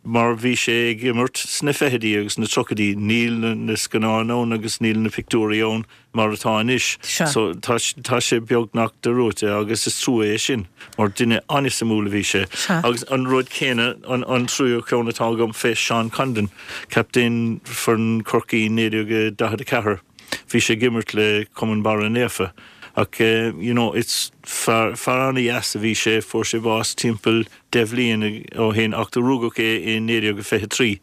Mar bhí sé ag imirt sna fichidí agus na tríochaidí, níl na scannáin ann agus níl na pictiúirí ann mar atá anois. So tá tá sé beagnach dearúdta agus is trua é sin mar duine an-suimiúil a bhí sé. Agus an rud céanna, an an tríú ceann atá agam fé Seán Condon, captaen foireann Chorcaí 1944. Bhí sé ag imirt le Cumann Barra Naofa ach you know it's fear fear an-dheas a bhí sé, fuair sé bás timpeall 10 bhliain ó shin ach do rugadh é i 1923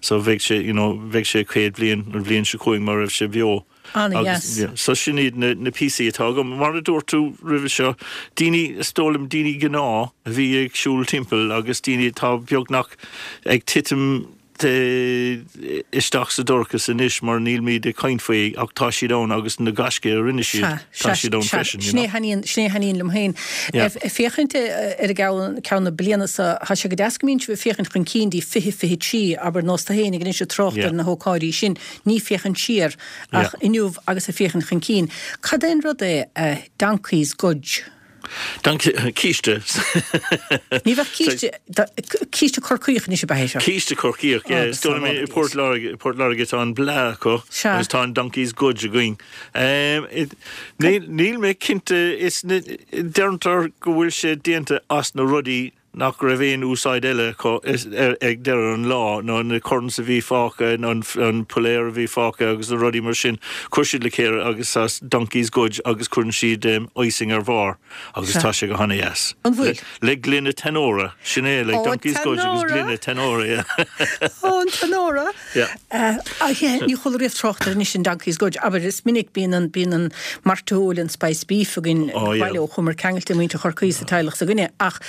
so bheadh sé you know bheadh sé 100 bliain an bhliain seo chugainn má raibh sé beo. An-dheas. Yeah so sin iad na na píosaí atá agam. Mar a dúirt tú roimhe seo, daoine, is dóigh liom daoine gnáth a bhí ag siúl timpeall agus daoine atá beagnach ag titim isteach sa dorchas anois mar nílmid ag caint faoi ach tá siad ann agus na gaiscí a rinne siad, tá siad ann freisin, you know. Sin é a thaitníonn liom féin. Ag féachaint ar an gceann na bliana seo, tá sé go deas go mbíonn sibh ag féachaint chun cinn dtí 2023, abair nós tú féin ag anois ag trácht ar na hócáidí sin, ní féachaint siar ach inniu agus ag féachaint chun cinn. Cad é an rud é Donkey's Gudge? Císte. Ní bheadh císte, císte Corcaíoch anois ab ea é seo? Císte Corcaíoch, yeah. Is dóigh liom i Port Láirge, Port Láirge tá an blaa acu agus tá an Donkey's Gudge againn. Níl mé cinnte, is deirtear go bhfuil sé déanta as na rudaí nach raibh aon úsáid eile acu ag deireadh an lá, nó na corns a bhí fágtha, an piléar a bhí fágtha agus na rudaí mar sin, chuir siad le chéile agus as Donkey's Gudge agus cuireann siad icing ar bharr agus tá sé go hana-dheas. An bhfuil? Le gloine Tanora, sin é, like Donkey's Gudge agus gloine Tanora, yeah. Ó, an Tanora! Yeah. Ní chuala riamh trácht air anois an Donkey's Gudge. Abair, is minic bíonn an, bíonn an mairteoil, an spice beef againn oh, yeah. baile ó chuamar ceangailte muintir Chorcaí sa teaghlach s'againne ach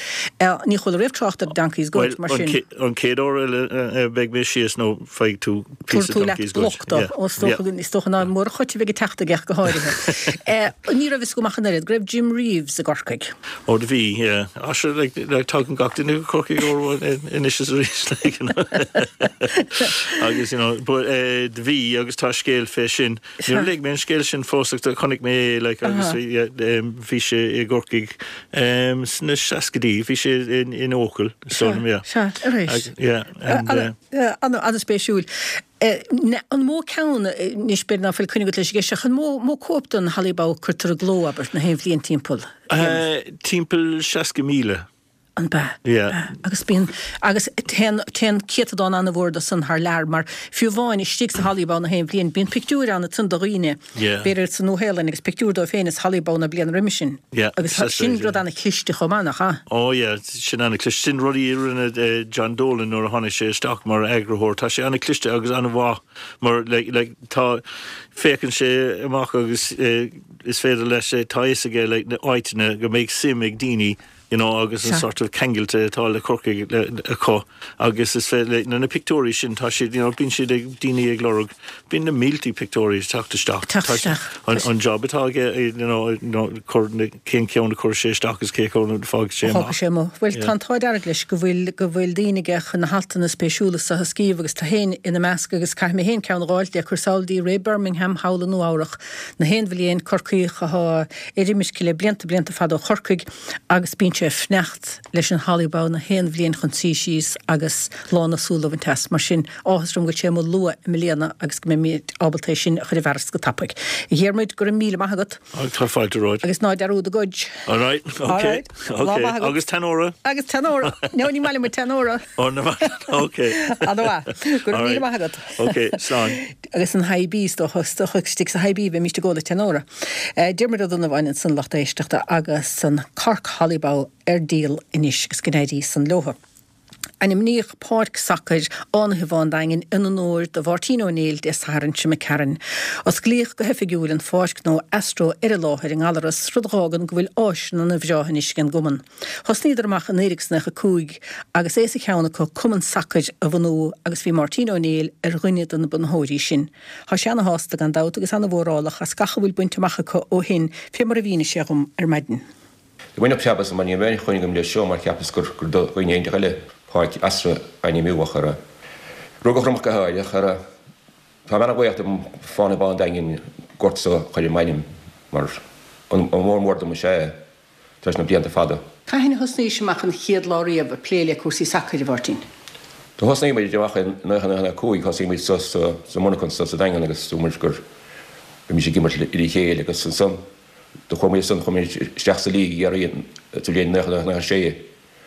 ní chuala riamh trácht ar Donkey's Gudge mar sin. An chéad uair eile a bheidh mé síos nó faigh tú píosa Donkey's Gudge. Bloc do, is dócha ná Máire Cháit a bheidh ag teacht aige go háirithe. Ní raibh fhios agam ach an oiread go raibh Jim Reeves i gCorcaigh. Ó do bhí, yeah. Ah sure, like, like, tagann gach duine go Corcaigh uair anois is arís, like, you know. Agus, you know, but, eh, do bhí agus tá scéal fé sin. Níor léigh mé an scéal sin fós ach do chonaic mé é, like, agus bhí, yeah, em, bhí sé i gCorcaigh, em, sna seascaidí, bhí sé in, in Eochaill, so, yeah. Sea, arís. Yeah, and, eh. An-spéisiúil. An mó ceann, anois b'fhéidir ná fuil coinne agat leis an gceist ach an mó mó cóip den Holly Bough a cuirtear i gcló, abair, na haon bhliain timpeall? Timpeall 60,000. An b'ea? Yeah. Agus bíonn, agus téann, téann céatadán an-mhór de san thar lear mar fiú amháin istigh sa Holly Bough na haon bhliain bíonn pictiúir ann ansan de dhaoine, b'fhéidir sa Nua-Shéalainn agus pictiúr dóibh féin is Holly Bough na bliana roimhe sin. Yeah. Agus sin rud an-chliste chomh maith, nach ea? Oh yeah, sin an-chliste. Sin rudaí a rinne John Dolan nuair a tháinig sé isteach mar eagarthóir. Tá sé an-chliste agus an-mhaith mar like, like, tá, féachann sé amach agus is féidir leis, tá a fhios aige like, na áiteanna go mbeidh suim ag daoine you know, agus an sort of ceangailte atá le Corcaigh acu agus is féidir le, na pictiúirí sin tá siad, you know, bíonn siad ag, daoine ag lorg, bíonn na míltí pictiúirí ag teacht isteach. Teacht isteach. An, an job atá aige, you know, you know, cur na, cén ceann a chuir sé isteach agus cé ceann a fágfaidh sé amach. Fágfaidh sé amuigh. Bhuel, tá an t-ádh dearg leis go bhfuil, go bhfuil daoine aige chun na haltanna spéisiúla so a scríobh agus tú féin ina measc agus caithfidh mé féin ceann a dh'fháilt le cur sall dtí Ray Bermingham thall i Nua Eabhrach. Na haon bhliain, Corcaíoch athá ar imirce le blianta blianta fada ó Chorcaigh agus bíonn sé. sé ag fanacht leis an Holly Bough na haon bhliain chun suí síos agus lán na súl a bhaint as. Mar sin, áthas orm go bhfuil sé amuigh luath i mbliana agus go mbeimid ábalta é sin a chur i bhfearas go tapaidh. A Dhiarmuid, go raibh míle maith agat. Tá fáilte romhat. Agus ná dearúd an gcuid. All right, ok, ok. Agus Tanora. Agus Tanora. No, ní maith liom an Tanora. Oh, no, ok. Ana-mhaith. Go raibh míle maith agat. Ok, slán. Agus an Hi-B, is dócha, is dócha istigh sa Hi-B a bheimíst ag ól an Tanora. Diarmuid Ó Donnabháin ansan lucht éisteachta agus an Cork Holly Bough ar díol anois agus go n-éirí san leotha. Ainmníodh páirc sacair Fhánaithe Bhá an Daingin in onóir do Mháirtín Ó Néill Dé Sathairn seo imigh tharainn. Osclaíodh go hoifigiúil an pháirc nó Astro ar an láthair i nGallaras, rud a dh'fhágann go bhfuil áiseanna ana bhreá anois ag an gcumann. Thosnaíodar amach i 1995 agus é sa cheann acu cumann sacair a bhunú agus bhí Máirtín Ó Néill ar dhuine de na bunaitheoirí sin. Tá sé ana-shásta gan dabht agus ana-mhórálach as gach a bhfuil bainte amach acu ó shin fé mar a mhínigh sé dhom ar maidin. Do bhain cheapas mar ní raibh aon choinne agam leis seo mar cheapas gur do dhaoine inteacht eile Páirc Astro a ainmniú ach ar rugadh orm ach go háirithe ach ar Tá mé ana-bhuíoch do Fánaithe Bá an Daingin gort so a chur i m'ainm mar onóir mór dom is ea é. tar éis na blianta fada. Cathain a thosnaís amach an chéad lá riamh ag plé le cúrsaí sacair, a Mháirtín? Do thosnaigh muid amach i 1995, thosaigh muid sa sa monarchan sa sa Daingean agus dúirt muid gur bheimis ag imirt le chéile agus ansan do chuaigh muid ansan chuaigh muid isteach sa league i gCiarraí sa bhliain 1996,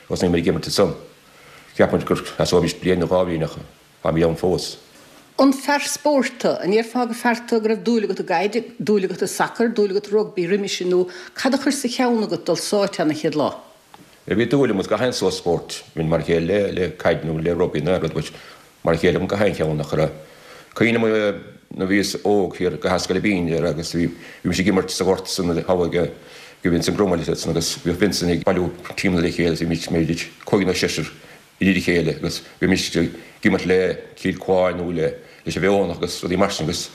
thosnaigh muid ag imirt ansan. Cheap muid gur sheasóimis bliain nó dhá bhliain ach Táimid ann fós. An fear spóirt tú? An ndéarfá gur fear tú go raibh dúil agat i gcaid, dúil agat i sacar, dúil agat i rugbaí roimis sin nó cad a chuir sa cheann agat dul sáite ann an chéad lá? Bhí dúil agam i gach aon sórt spóirt, bhínn mar a chéile le le caid nó le rugbaí nó aon rud but mar a chéile agam gach aon cheann ach ar cuimhin liom nuair a bhíos óg thiar go hAscaill Bín ar agus bhí bhí mise ag imirt sa ghort san thall ag ag Vincent Grumble san agus bhíodh Vincent ag bailiú tímeanna le chéile agus bhí muid b'fhéidir cúigear nó seisear i ndiaidh a chéile agus bhímis ag imirt le Cill Cuáin nó le leis an Bheonach agus rudaí mar sin agus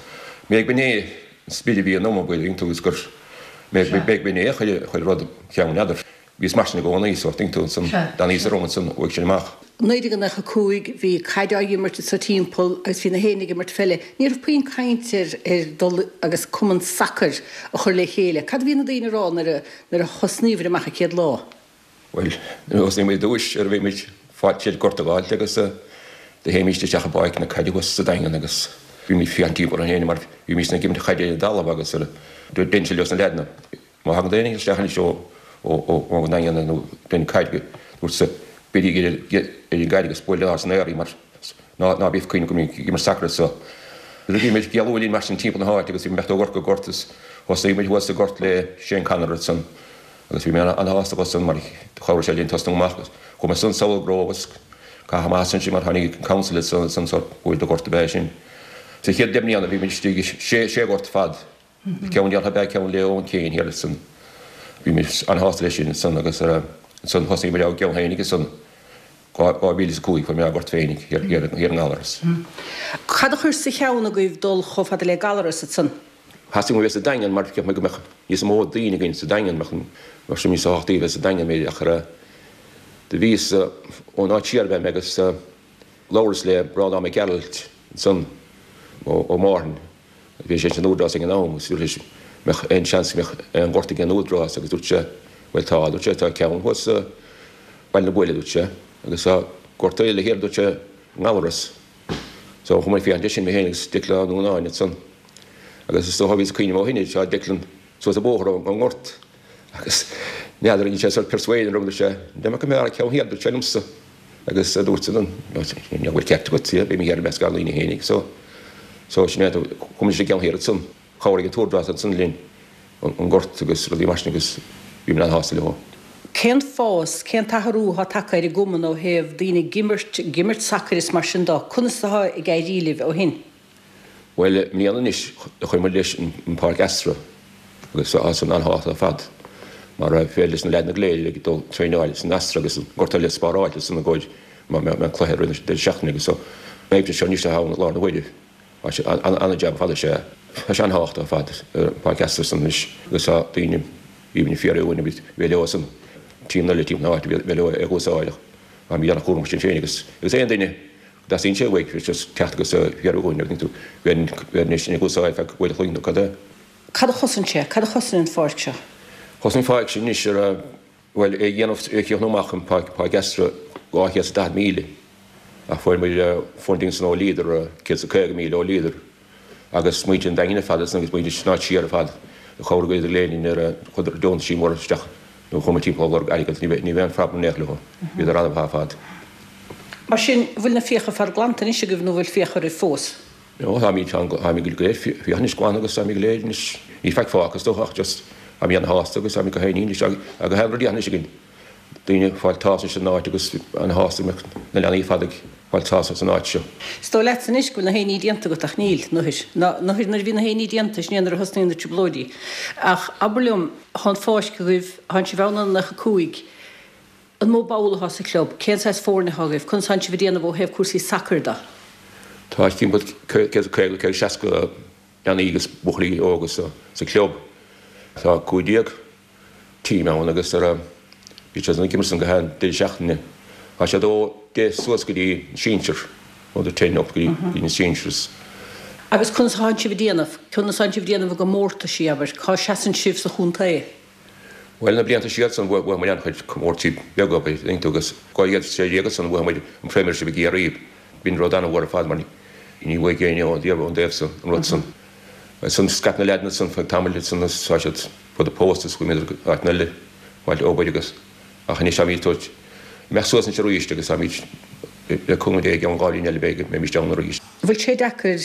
b'fhéidir b'in é an spiorad a bhí ionam an dtuigeann tú agus gur b'fhéidir b'in é a chuir chuir rud cheann n'fheadar. Bhíos mar sin i gcónaí sórt tuigeann tú ansan d'fhan fhios orm ansan uaidh sin amach. 1995 bhí caid á imirt anso timpeall agus bhí na héinne ag imirt pheile. Ní raibh puinn caint ar ar dul agus cumann sacair a chur le chéile. Cad a bhí na daoine a rá nuair a nuair a thosnaíobhair amach an chéad lá? Bhuel, nuair a thosnaigh muid ar dtúis, ar bhí muid faighte gort a dh'fháilt agus do théimíst isteach i bpáirc na caide thuas sa Daingean agus bhí muid féachaint timpeall orainn féin mar bhímíst ag imirt chaide ar an dtalamh agus deinnse leos na leaideanna, má thagann duine isteach anois ó ón nDaingean nó den caid, dúrtsa, beirígí ar an gcaid agus buail san aer í mar ná ná bíodh cuimhne go mbíonn ag imirt sacair anso. Bhí muid ag éalú linn mar sin timpeall na háite agus bhí muid ó ghort go gort agus thosaigh muid thuas sa gort le Shane Connor ansan. Agus bhí mé ana-shásta dhó san mar chabhraigh sé linn tosnú amach agus chuaigh mé san Sabhal Grove agus caitheadh amach as ansin mar tháinig an council ansan ansan sórt buail do ghort ab ea é sin. Sa chéad deich mbliana bhí muid istigh i sé sé ghort fad, ceann déarfá ab ea ceann le Eoin Kane thiar ansan. Bhí muid ana-shásta leis sin ansan agus ansan thosaigh muid ár gceann féinig ansan 2005 fuair mé ár ngort féinig thiar thiar i nGallaras. Cad a chuir sa cheann agaibh dul chomh fada le Gallaras ansan? Theastaigh uaim a bheith sa Daingean mar cheap mé go mbeadh níos mó daoine againn sa Daingean, mbeadh sé níos tábhachtaí a bheith sa Daingean b'fhéidir ach do bhíos ón áit siar ab ea mé agus labhras le Breandán Mac Gearailt ansan Ó Márthain, bhí sé san Údarás ag an am agus dúirt sé mbeadh aon seans go mbeadh aon ghort ag an Údarás agus dúirt sé bhuel tá, dúirt sé, tá ceann thuas sa Baile na Buaile dúirt sé agus tá gort eile thiar dúirt sé i nGallaras. So chuaigh mé ag féachaint air sin mé féin agus Declan Ó Núnáin ansan. Agus is dócha bhíos ag cuimhneamh ó shin tá Declan suas an bóthar ón ngort agus n'fheadar an sé sort persuade orm dúirt sé dá mbeadh mé ar ceann thiar dúirt sé liomsa agus dúirt sé an bhfuil ceart agat yeah beidh mé thiar i measc ár ndaoine féinig so so sin é chuaigh muid an ceann thiar ansan chabhraigh an tÚdarás ansan linn an gort agus rudaí mar sin agus bhí mé an-shásta leo. Cén fás, cén t-athrú atá tagtha ar an gcumann ó thaobh daoine ag imirt, ag imirt sacair is mar sin dó? Conas atá ag éirí libh ó shin? Bhuel, i mbliana anois do chuir muid leis an páirc Astro agus tá san an-tábhachtach ar fad mar féidir leis na leaideanna go léir ag dul traenáil san Astro agus an gort eile spáráilte san i gcomhair má mbeadh cluiche i rith an deireadh seachtaine agus so an oibre seo anois atá ann i lár na huaire. Tá sé an-jab ar fad is ea. Tá sé an-tábhachtach ar fad an páirc Astro san anois agus tá daoine aoibhinn fíor-aoibhinn a bheith leo san tímeanna eile timpeall na háite bheith leo ag úsáid ach táimid an-chúramach sin féin agus agus aon duine go dteastaíonn sé uaidh just teacht agus fiafraí dhúinn agus tú bheith anois ag úsáid feadh uair a chloig nó cad é. Cad a chosain sé? Cad a chosain an pháirc seo? Chosain an pháirc sin anois ar. Bhuel, é a dhéanamh, é a chríochnú amach an Páirc Astro 240 míle ach fuair muid funding san ó Leader, 150,000 ó Leader agus muintir an Daingin ar fad agus muintir san áit siar ar fad a chabhraigh idir linn nuair a chuir deontaisí móra isteach nó chuaigh muid timpeall ag lorg airgead. Ní bheadh aon phroblem in aon chor leo, bhíodar an-mhaith ar fad. Mar sin, bhfuil na fiacha fad glanta anois agaibh nó bhfuil fiacha oraibh fós? No, táimid, táimid go léir fiacha anois glan agus táimid go léir anois, níl faic fágtha is dócha ach just táimid ana-shásta agus táimid go haoine anois agus tá an rud anois againn, daoine ag fáil tsásamh san áit agus ana-shásta go mbeadh na leanaí ar fad ag fáil tsásamh san áit seo. Is dóigh leatsa anois go bhfuil na héiní déanta agat ach níl, nuair, ná nuair nuair a bhí na héiní déanta sin é nuair a thosnaíonn na trioblóidí. Ach abair liom, thá an pháirc agaibh, thánn sibh ann ó 95, An mó ball atá sa chlub? Cén saghas foirne atá agaibh? Conas tánn sibh ag déanamh ó thaobh cúrsaí sacair de? Tá timpeall 150, 160 leanaí agus buachaillí óga sa chlub. Tá 15 team ann agus bíonn siad ag imirt san gach aon deireadh seachtaine. Tá siad ó 10 suas go dtí an sinsir, under 10 up go dtí na sinsers. Agus conas atánn sibh ag déanamh? Conas atánn sibh ag déanamh i gcomórtaisí, abair? Cá seasann sibh sa chontae? Bhuel, na blianta siar san bhuaigh muid an-chuid comórtaisí beaga, an dtuigeann tú, agus 2016 ansan bhuaigh muid an Premiership i gCiarraí. B'in rud an-mhór ar fad mar ní bhuaigh éinne ón dtaobh san an rud san. Ansan scaip na leaideanna san feadh tamaill ansan agus tá siad fud pósta is chuaigh muid go áiteanna eile fáil obair agus ach anois táimid ag tabhairt imeacht suas anois arís agus táimid le cúnamh Dé i gceann 2 bhliain eile beidh beimid ann arís. Bhfuil sé deacair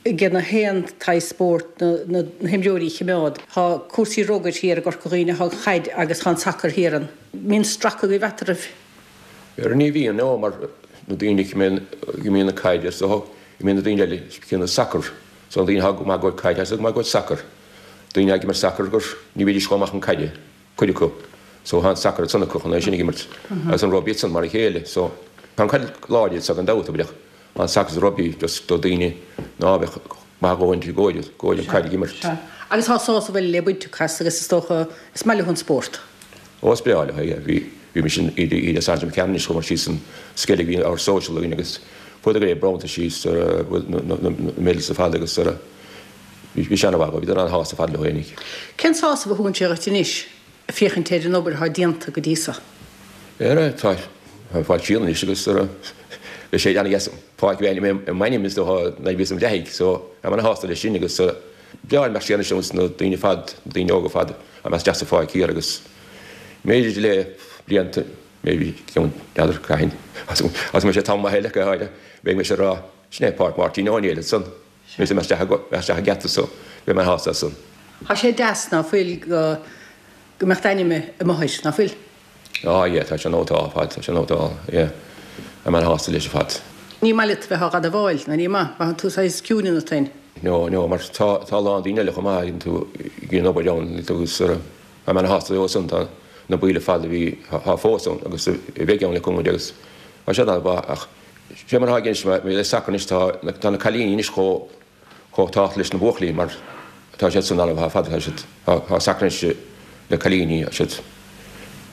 ag na haon tsaghas spóirt na himreoirí a chimeád. Tá cúrsaí rugair thiar i gCorca Dhuibhne, tá an chaid agus tá an sacar thiar. An mbíonn stracadh agaibh eatarthu? Ara ní bhíonn, no, mar na daoine a imríonn an caid is dócha, imríonn na daoine eile céanna sacar. So na daoine atá go maith i gcomhair caide, tá siad go maith i gcomhair sacar. Daoine atá ag imirt sacar gur ní bhídís chomh maith chun caide, cuid acu. So tá an sacar ansan acu chun é sin ag imirt. Agus an rugbaí ansan mar a chéile. So tá an caid láidir anso gan dabht, ach An sacar is rugbaí just do daoine ná bheadh maith a dhóthain i gcomhair an caid ag imirt. Sea. Agus tá sásamh eile le baint acu as agus is dócha is maith leo an spórt. Ó is breá leo é, yeah. Bhí, bhí mise in Oíche Sathairn Jim Cannon anois chuamar síos an Sceilg bhí ár social againn agus fuaireadar go léir bronntaisí is na na medals ar fad agus bhí bhí sé ana-mhaith dhóibh, bhíodar ana-shásta ar fad leo fhéinig. Cén sásamh a thugann sé dhuit anois? féachaint ar an obair atá déanta go dtí so. Ara, tá fáil siar anois agus ara, beidh sé ana-dheas páirc a bheith i m'ainm is dócha nuair a bhíos im leathaigh so táim ana-shásta leis sin agus breá imeacht siar anois agus na daoine ar fad, na daoine óga ar fad a mbeas isteach sa pháirc thiar agus b'fhéidir le blianta maybe ceann n'fheadar cathain agus mbeidh sé tamall maith eile go háirithe beidh mise ag rá sin é Páirc Mháirtín Ó Néill ansan. Mise isteach an geata so beidh mé sásta as san. Tá sé deas ná fuil go go mbeadh d'ainm amuigh air, ná fuil? Á yeah, tá sé nótálta ar fad, tá sé nótálta, yeah. Tá mé ana-shásta leis ar fad. Ní maith leat a bheith á dh'admháil, ná ní maith, maitheann tú saghas ciúin ionat féin. No, no, mar tá, tá a lán daoine eile chomh maith, tuigeann tú, ag déanamh obair ann, agus tá mé ana-shásta leo san, tá na baill ar fad a bhí, tá fós ann agus a bheidh ann le cúnamh Dé agus tá siad an-mhaith ach Sé mar atá i gceist le sacar anois, tá na cailíní anois chomh tábhachtach leis na buachaillí mar tá siad san an-mhaith ar fad, tá siad, tá sacar anois le cailíní, tá siad,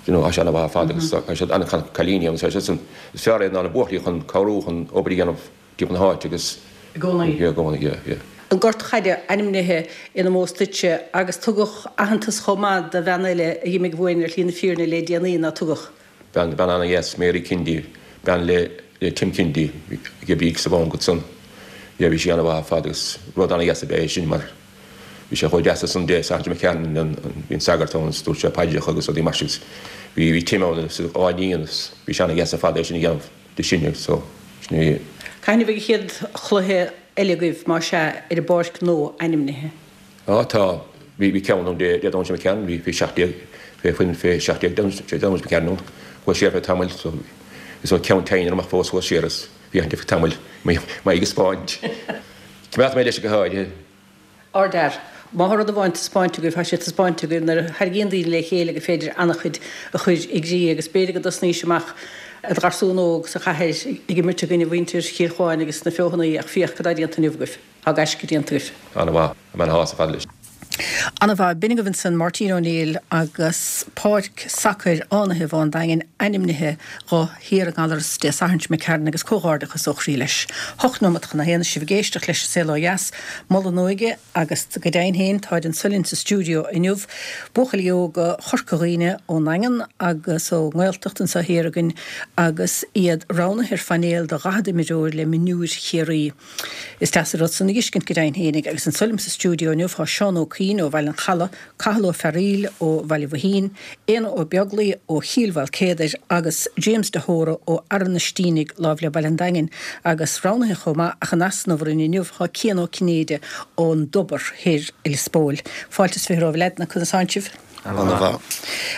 you know, tá sé an-mhaith ar fad agus tá siad an-cailíní agus tá siad san, is fearr iad ná na buachaillí chun cabhrú chun obair a dhéanamh timpeall na háite agus. I gcónaí. Yeah, i gcónaí, yeah, yeah. An Gort Chaide ainmnithe in omós duitse agus tugadh aitheantas chomh maith do bhean eile a dh'imigh uainn ar shlí na fírinne le déanaí, ná tugadh? Bean, bean ana-dheas, Mary Kennedy, bean le, le Tim Kennedy, ag oibriú sa bhanc ansan. Yeah, bhí sí ana-mhaith ar fad agus rud ana-dheas ab ea é sin mar bhí sé chomh deas ansan Dé Sathairn Jim McCarron, an, an, bhí an sagart ann agus dúirt sé paidreacha agus rudaí mar sin agus bhí, bhí Tim ann agus a dhá iníon agus bhí sé ana-dheas ar fad é sin a dhéanamh di sin agus so, sin é. Cathain a bheidh an chéad chluiche eile agaibh, más ea, ar an bpáirc nua ainmnithe? Á tá, bhí, bhí ceann ann Dé, Dé Domhnaigh seo imigh tharainn, bhí fé 17, fé foireann fé 17 Dé Dé Domhnaigh seo imigh tharainn ann, chuas siar fé tamaill so is ó ceann teine amach fós chuas siar is féachaint ar feadh tamaill m'aghaidh a 'spáint. Coimeádfaidh mé leis go háirithe. Ardfhear. Má thá rud amháin taispeáinte agaibh, thá sé taispeáinte agaibh nuair a tharraingíonn daoine le chéile gur féidir an-chuid a chur i gcrích agus b'fhéidir go dtosnaís amach i do gharsún óg sa chathair ag imirt i gcoinne mhuintir Chill Chuáin agus na Feothanaí ach féach cad tá déanta inniu agaibh. Tá gaisce déanta agaibh. Ana-mhaith. Tá mé ana-shásta ar fad leis. Ana-mhaith. B'in agaibh ansan Máirtín Ó Néill agus páirc sacair fhánaithe Bhá an Daingin ainmnithe dho thiar i nGallaras Dé Sathairn seo imigh tharainn agus comhghairdeachas ó chroí leis. Hocht nóimeat chun a haon is sibh ag éisteacht leis An Saol Ó Dheas, Moladh na hÓige agus go deimhin féin táid anso linn sa stiúideo inniu, buachaillí óga Chorca Dhuibhne ón nDaingean agus ón nGaeltacht anso thiar againn agus iad roghnaithe ar phainéal de dhaichead imreoir le mionúir Chiarraí. Is deas an rud san a dh'fheiscint go deimhin fhéinig, agus anso liom sa stiúideo inniu tá Seán Ó Cuinn ó Bhaile an Chalaidh, Cathal Ó Fearaíl ó Bhaile Mhaoithín, Éanna Ó Beaglaoi ó Chill Mhaoilcéadair agus James de hÓra ó Fhearann na Stínigh láimh le Baile an Daingin, agus roghnaithe chomh maith ach in easnamh orainn inniu tá Cian Ó Cinnéide ón dTobar Thoir i Lios Póil. Fáilte is 20 romhaibh a leaideanna, conas tánn sibh? Ana-mhaith.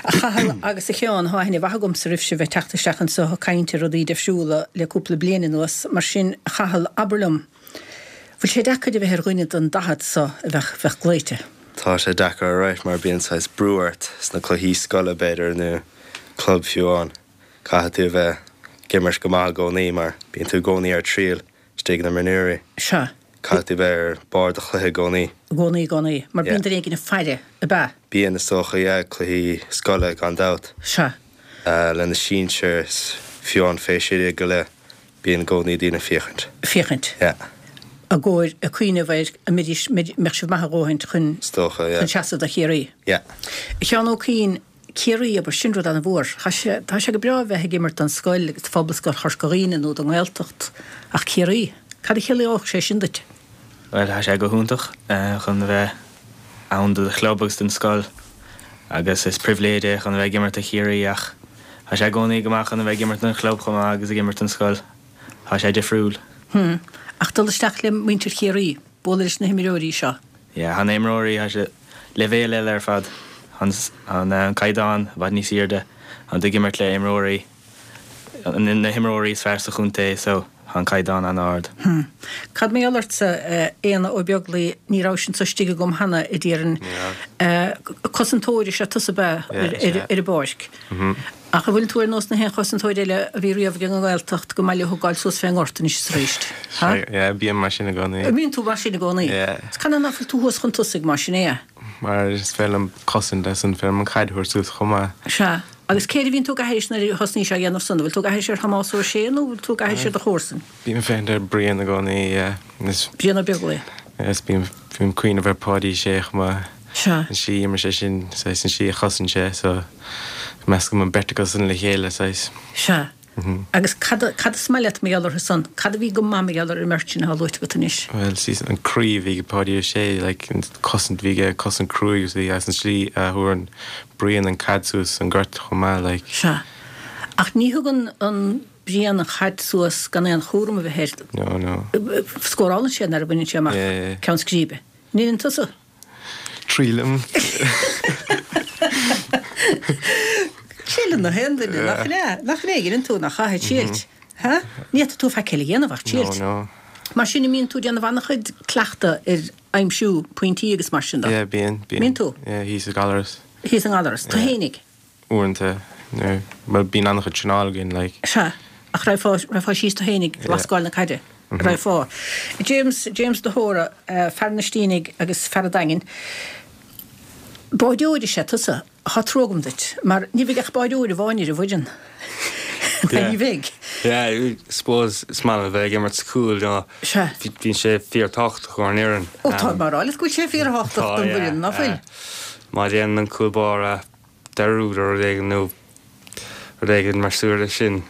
A Chathail agus a Sheáin, thá aithne mhaith agamsa roimhse bheith teacht isteach anso ag caint ar rudaí deifriúla le cúpla bliain anuas, mar sin, a Chathail, abair liom, bhfuil sé deacair a bheith ar dhuine den daichead so a bheadh, bheadh glaoite? Tá sé deacair alright mar bíonn saghas brú ort sna cluichí scoile b'fhéidir nó club fiú amháin. Caithfidh tú a bheith ag imirt go maith i gcónaí mar bíonn tú i gcónaí ar triail istigh ag na mionúirí. Sea. Caithfidh tú bheith ar barr do chluiche i gcónaí. I gcónaí, i gcónaí. Mar bíonn duine éigin ag faire, ab ea? Bíonn, is dócha, yeah, cluichí scoile gan dabht. Sea. Le na sinsir is fiú amháin feisirí go leith, bíonn i gcónaí daoine ag féachaint. Féachaint. Yeah. I gcomhair, ag cuimhneamh ar an mbeidís, mbeadh sibh maith a dhóthaint chun, Is dócha, yeah. chun seasamh do Chiarraí. Yeah. A Sheáin Ó Cuinn, Ciarraí, abair, sin rud an-mhór. Tá sé, tá sé go breá a bheith ag imirt don scoil agus do Phobalscoil Chorca Dhuibhne nó don nGaeltacht, ach Ciarraí? Cad a chiallódh sé sin duit? Bhuel, tá sé go hiontach chun a bheith ann do do chlub agus don scoil agus is pribhléid é chun a bheith ag imirt do Chiarraí ach tá sé i gcónaí go maith chun a bheith ag imirt don chlub chomh maith agus ag imirt don scoil. Tá sé difriúil. Hm. Ach dul isteach le muintir Chiarraí, bualadh leis na himreoirí seo. Yeah, tá na imreoirí, tá sé leibhéal eile ar fad. Tá an caighdeán i bhfad níos airde. Tá tú ag imirt le imreoirí, na himreoirí is fearr sa chontae so tá an caighdeán an-ard. Hm. Cad mar gheall ortsa, a Éanna Ó Beaglaoi, ní rabhais anso istigh agam cheana, a déarfainn. Ní raibh. Cosantóir is ea tusa ab ea ar an bpáirc. Ach an bhfuil tú ar nós na haon chosantóir eile a bhí riamh ag an nGaeltacht go maith leo gabháil suas fén ngort anois is arís? Ha? Yeah, bím mar sin i gcónaí. An mbíonn tú mar sin i gcónaí? Yeah. Is canathaobh ná fuil tú thuas chun tosaigh mar sin é? Mar is féidir liom cosaint agus an féidir liom an chaid a thabhairt suas chomh maith. Sea. Agus cé air a bhíonn tú ag aithris nuair a thosnaís á dhéanamh san? An bhfuil tú ag aithris ar Thomás Ó Sé nó an bhfuil tú ag aithris ar do chomharsain? Bím ag féachaint ar Brian i gcónaí, yeah. Is. Brian Ó Beaglaoi. Yeah, is bím, bím ag cuimhneamh ar Páidí Sé chomh maith. Sea. An slí a imir sé sin, saghas, an slí a chosain sé, so meascaim an beirt acu san le chéile, saghas. Sea. Agus cad, cad is maith leat mar gheall orthu san? Cad a bhí go maith mar gheall ar an mbeirt sin atá luaite agat anois? Bhuel, saghas, an croí a bhí ag Páidí Ó Sé, like, an cosaint a bhí aige, cosaint cruaidh agus bhí, agus an slí a thabharann Brian an caid suas an gort chomh maith, like. Sea. Ach ní thugann an Brian an chaid suas gan aon chúram a bheith air. No, no. Scórálann sé nuair a bhaineann sé amach ceann scríbe. An ndeineann tusa? Triailim. Triaileann na haon duine, nach ea? Nach ea? Deineann tú, nach ea? Triailt. Ha? Ní fhéadfaidh tú faic eile a dhéanamh ach triailt. No, no. Mar sin, an mbíonn tú ag déanamh an-chuid cleachtadh ar aimsiú pointí agus mar sin de? Yeah, bíonn, bíonn. Mbíonn tú? Yeah, thíos i nGallaras. Thíos i nGallaras. Tú fhéinig? uaireanta nuair, bhuel bíonn an-chuid traenáil againn like. Sea, ach raghfá, raghfá síos tú fhéinig ag lascáil na caide, raghfá. James, James de hÓra, fear na Stínigh agus fear an Daingin, báireoir is ea tusa, thá trua agam duit, mar ní bheidh ach báireoir amháin ar an bhfoireann. Yeah. Ní bheidh. Yeah, I suppose is maith liom a bheith ag imirt sa chúl, you know. Sea. Bíonn sé fíor-tábhachtach ár bhfoireann. Ó tá mé ag rá leat go bhfuil sé fíor-thábhachtach don bhfoireann, ná fuil? Má dhéanann an cúl báire dearúd ar rud éigin nó rud éigin mar súil leis sin.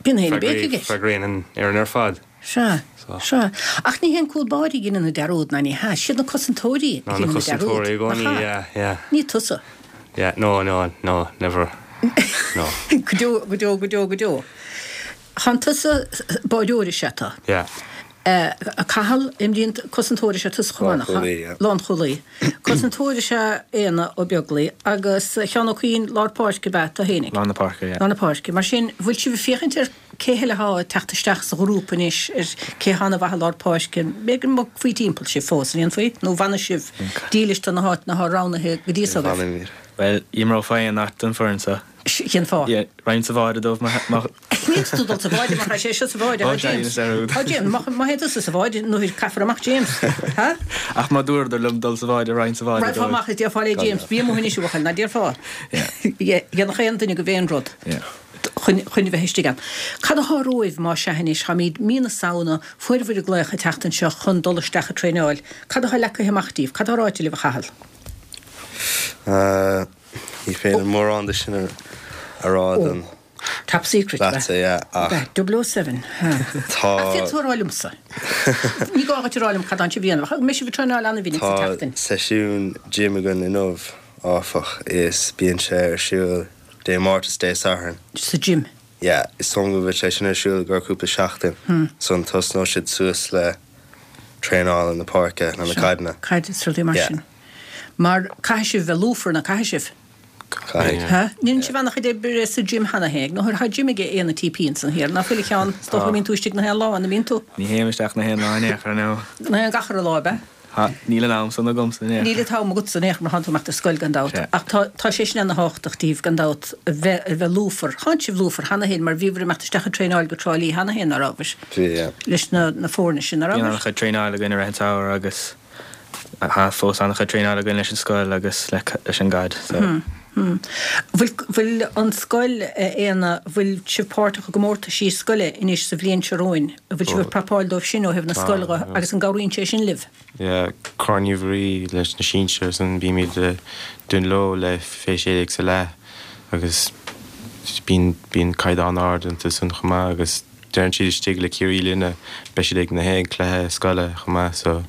Bíonn féin béic aige. Freagraíonn an fhoireann ar fad. Sea, sea. Ach ní hé an cúl báire a dheineann an dearúd, ná ní hea. Siad na cosantóirí a dheineann an dearúd, nach ea? Yeah. Ní tusa. Yeah, no, no, no, never. No. Go deo, go deo, go deo, go deo. Tánn tusa, báireoir is ea tú. Yeah. A Cathal, imríonn cosantóir is ea tusa chomh maith, nach ea? Lánchúlaí, yeah. Lánchúlaí. Cosantóir is ea Éanna Ó Beaglaoi agus a Sheáin Ó Cuinn, lár páirce ab ea tú fhéinig? Lár na páirce, yeah. Lár na páirce. Mar sin, bhfuil sibh ag féachaint ar cé eile athá ag teacht isteach sa ghrúpa anois, ar cé athá ana mhaith i lár páirce? B'fhéidir go mbogfaí timpeall sibh fós, an ndéanfaí? Nó bhfanfaidh sibh dílis do na háiteanna athá roghnaithe go dtí so agaibh? Bhuel, imreofá aon áit don foireann seo. Cén fáth? Yeah, raghainn sa bháide dóibh má. Ní fhéadfadh tú dul sa bháide mar tá sé seo sa bháide, Ó, tá James. dearúd. Tá James, má má théann tusa sa bháide nuair caithfear amach James. Ha? Ach má dúradar liom dul sa bháide raghainn sa bháide Raghfá dóibh. amach is déarfá le James, bí amuigh anois a bhuachaill, ná déarfá? Yeah. Dhéanfadh aon duine agaibh aon rud Yeah. chun chun a bheith istigh ann. Cad athá romhaibh má sea anois, táimíd mí na Samhna, fuair bhur glaoch an tseachtain seo chun dul isteach ag traenáil. Cad athá leagtha amach díbh? Cad athá ráite libh a Chathail? Ní féidir mórán de sin a rá don Top secret, leatsa, yeah, ach. 007, ha. Tá. Ach féadfaidh tú a rá liomsa. Ní gá dhuit a rá liom cad atánn sibh a dhéanamh, ach an mbeidh sibh ag traenáil an-mhinic sa Tá tseachtain? seisiún gym againn inniu, áfach, is bíonn sé ar siúl Dé Máirt is Dé Sathairn. Sa gym? Yeah, is dóigh liom go bhfuil sé sin ar siúl i gcomhair cúpla seachtain, ansan tosnóidh siad suas le traenáil na páirce, nó na caideanna. Caid is rudaí mar Yeah. sin. Mar caithfidh sibh bheith lúfar, ná caithfidh sibh? Caithfidh. Ha? Ndéanann sibh an-chuid oibre sa gym cheana féin, nó thá gym ag Éanna TP ansan thiar, ná fuil a Sheáin? Is dócha go mbíonn tú istigh na haon lá, an mbíonn tú? Ní théim isteach na haon lá in aon chor, no. Na haon gach uile lá, ab ea? Ha, níl an am san agamsa in aon Níl an t-am agatsa in aon chor mar thánn tú ag imeacht ar scoil gan dabht. Sea. Ach tá, tá sé sin ana-thábhachtach díbh gan dabht, a bheith, a bheith lúfar. Thánn sibh lúfar cheana féin mar bhíobhair ag imeacht isteach ag traenáil go Trá Lí cheana féin, ná rabhais? Bhí, yeah. Leis na, na foirne sin, ná Bíonn rabhais? an-chuid traenáil againn i rith an tsamhraidh agus Tá fós an-chuid traenáil againn leis an scoil agus leis an gcaid so. Bhfuil, bhfuil an scoil, a Éanna, bhfuil sibh páirteach i gcomórtaisí scoile anois sa bhliain seo romhainn? An bhfuil sibh ag prapáil dóibh sin ó thaobh na scoile dhe agus an gcabhraíonn sé sin libh? Yeah, Corn Uí Mhuirí leis na sinsir ansan bímid i Dún Leo le fé 16 sa leath agus bíonn, bíonn caighdeán ard iontu san chomh maith agus Deireann siad istigh le Ciarraí linne, beidh siad ag na haon cluiche scoile chomh maith so.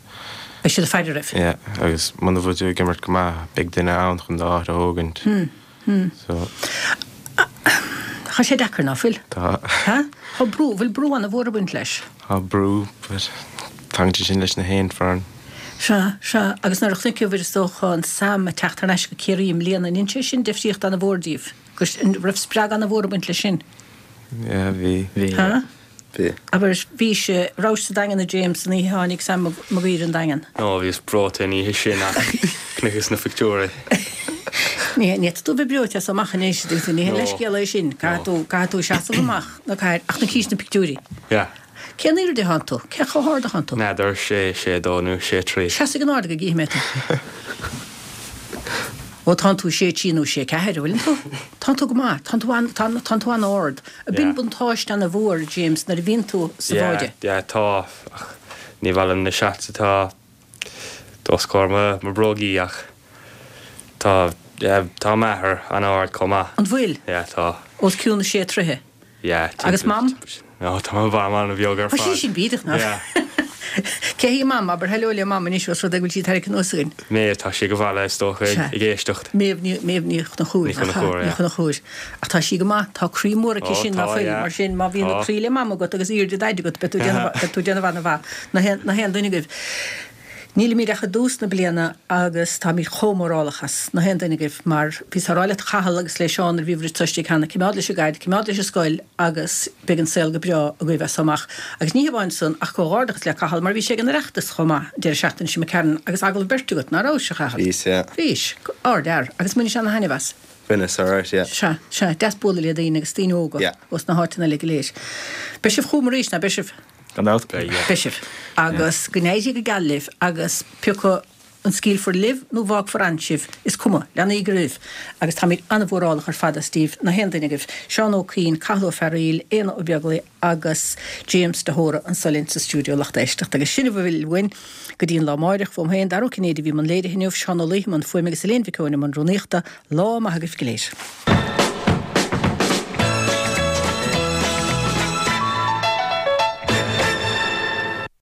Beidh siad ag faire oraibh. Yeah, agus muna bhfuil tú ag imirt go maith, beidh duine ann chun d'áit a thógaint. So. Tá sé deacair, ná fuil? Tá. Ha? Tá brú, bhfuil brú ana-mhór ag baint leis? Tá brú, but tagann sé sin leis na haon foireann. Sea, sea, agus nuair a chonaiceabhair is dócha an Sam ag teacht thar n-ais go Ciarraí i mbliana, an ndein sé sin difríocht ana-mhór díbh? Agus an raibh spreagadh ana-mhór ag baint leis sin? Yeah, bhí. Bhí. Ha? Bhí. Abair, bhís, rabhais sa Daingean a James an oíche a tháinig Sam Mag Uidhir an Daingean? No, bhíos breoite an oíche sin ach chonaiceas na pictiúirí. Ní, ní fhéadfadh tú a bheith breoite as amach anois, ní haon leithscéal é sin, caithfidh tú, caithfidh tú seasamh amach, nó caithfidh, ach chonaicis na pictiúirí. Yeah. Cén airde atánn tú? Cé chomh hard atánn tú? N'fheadar, sé, sé dó nó sé trí. Seasaigh in airde go gcífidh mé tú. Ó, tánn tú sé trí nó sé ceathair, an bhfuileann tú? Tánn tú go maith, tánn tú an, tánn, tánn tú an-ard. Ab in buntáiste ana-mhór, James, nuair a bhíonn tú sa Yeah, bháide? yeah, tá, ach ní maith liom na shots atá os comhair mo, mo brógaí ach tá, yeah, tá m'athair an-ard chomh maith. An bhfuil? Yeah, tá. Os cionn sé troithe? Yeah, Agus Mam? No, tá mo mham an-bheag ar Tá fad. sí sin bídeach, nach? Yeah. Cé hí Mam? Abair hello le Mam anois os rud é go bhfuil sí ag tarraingt anuas againn. Méabh, tá sí ag an bhaile is dócha Sea. ag éisteacht. Méabh Ní, Méabh Ní Chonchúir, Ní nach ea? Chonchúir, Ní yeah. Chonchúir. Ach tá sí go maith, tá croí mór aici Ó, sin, ná tá, fuil? yeah. Mar sin, má bhíonn Tá. croí le Mam agat agus airde Daid agat, beidh tú ag déanamh, beidh tú ag déanamh an-mhaith. Na haon, na haon duine agaibh. Nílimid ach i dtús na bliana agus táimid chomh mórálach as na haon duine agaibh mar bhíos á rá le Cathal agus le Seán nuair a bhíobhair istigh cheana, cimeád leis an gcaid, cimeád leis an scoil agus beidh an saol go breá agaibh as so amach. Agus ní hamháin san ach comhghairdeachas le Cathal mar bhí sé ag an Oireachtas chomh maith an deireadh seachtaine seo imigh tharainn agus agallamh beirte agat, ná rabhais, a Chathail? Bhíos, yeah. Bhís. Ardfhear. Agus bhainis ana-thaitneamh as. Bhaineas, alright, yeah. Sea, sea, deas bualadh le daoine agus daoine óga Yeah. ós na háiteanna uilig go léir. Beidh sibh chugam arís, ná beidh sibh? Gan dabht. Beidh, yeah. Beidh sibh. Agus go n-éirí go geal libh agus pé acu an scaoilfear libh nó bhfágfar ann sibh, is cuma, leanaígí oraibh. Agus táimid an-mhórálach ar fad as díbh, na haon duine agaibh, Seán Ó Cuinn, Cathal Ó Fearghaíl, Éanna Ó Beaglaoi agus James de hÓra anso linn sa stiúideo lucht éisteachta. Agus sin a bhfuil uainn go dtí an lá amáireach. Uaim féin, Dara Ó Cinnéide a bhí i mbun léirithe inniu, Seán Ó Laoithe i mbun fuaime agus Elaine Mhic Eoin i mbun rúnaíochta. Lá maith agaibh go léir.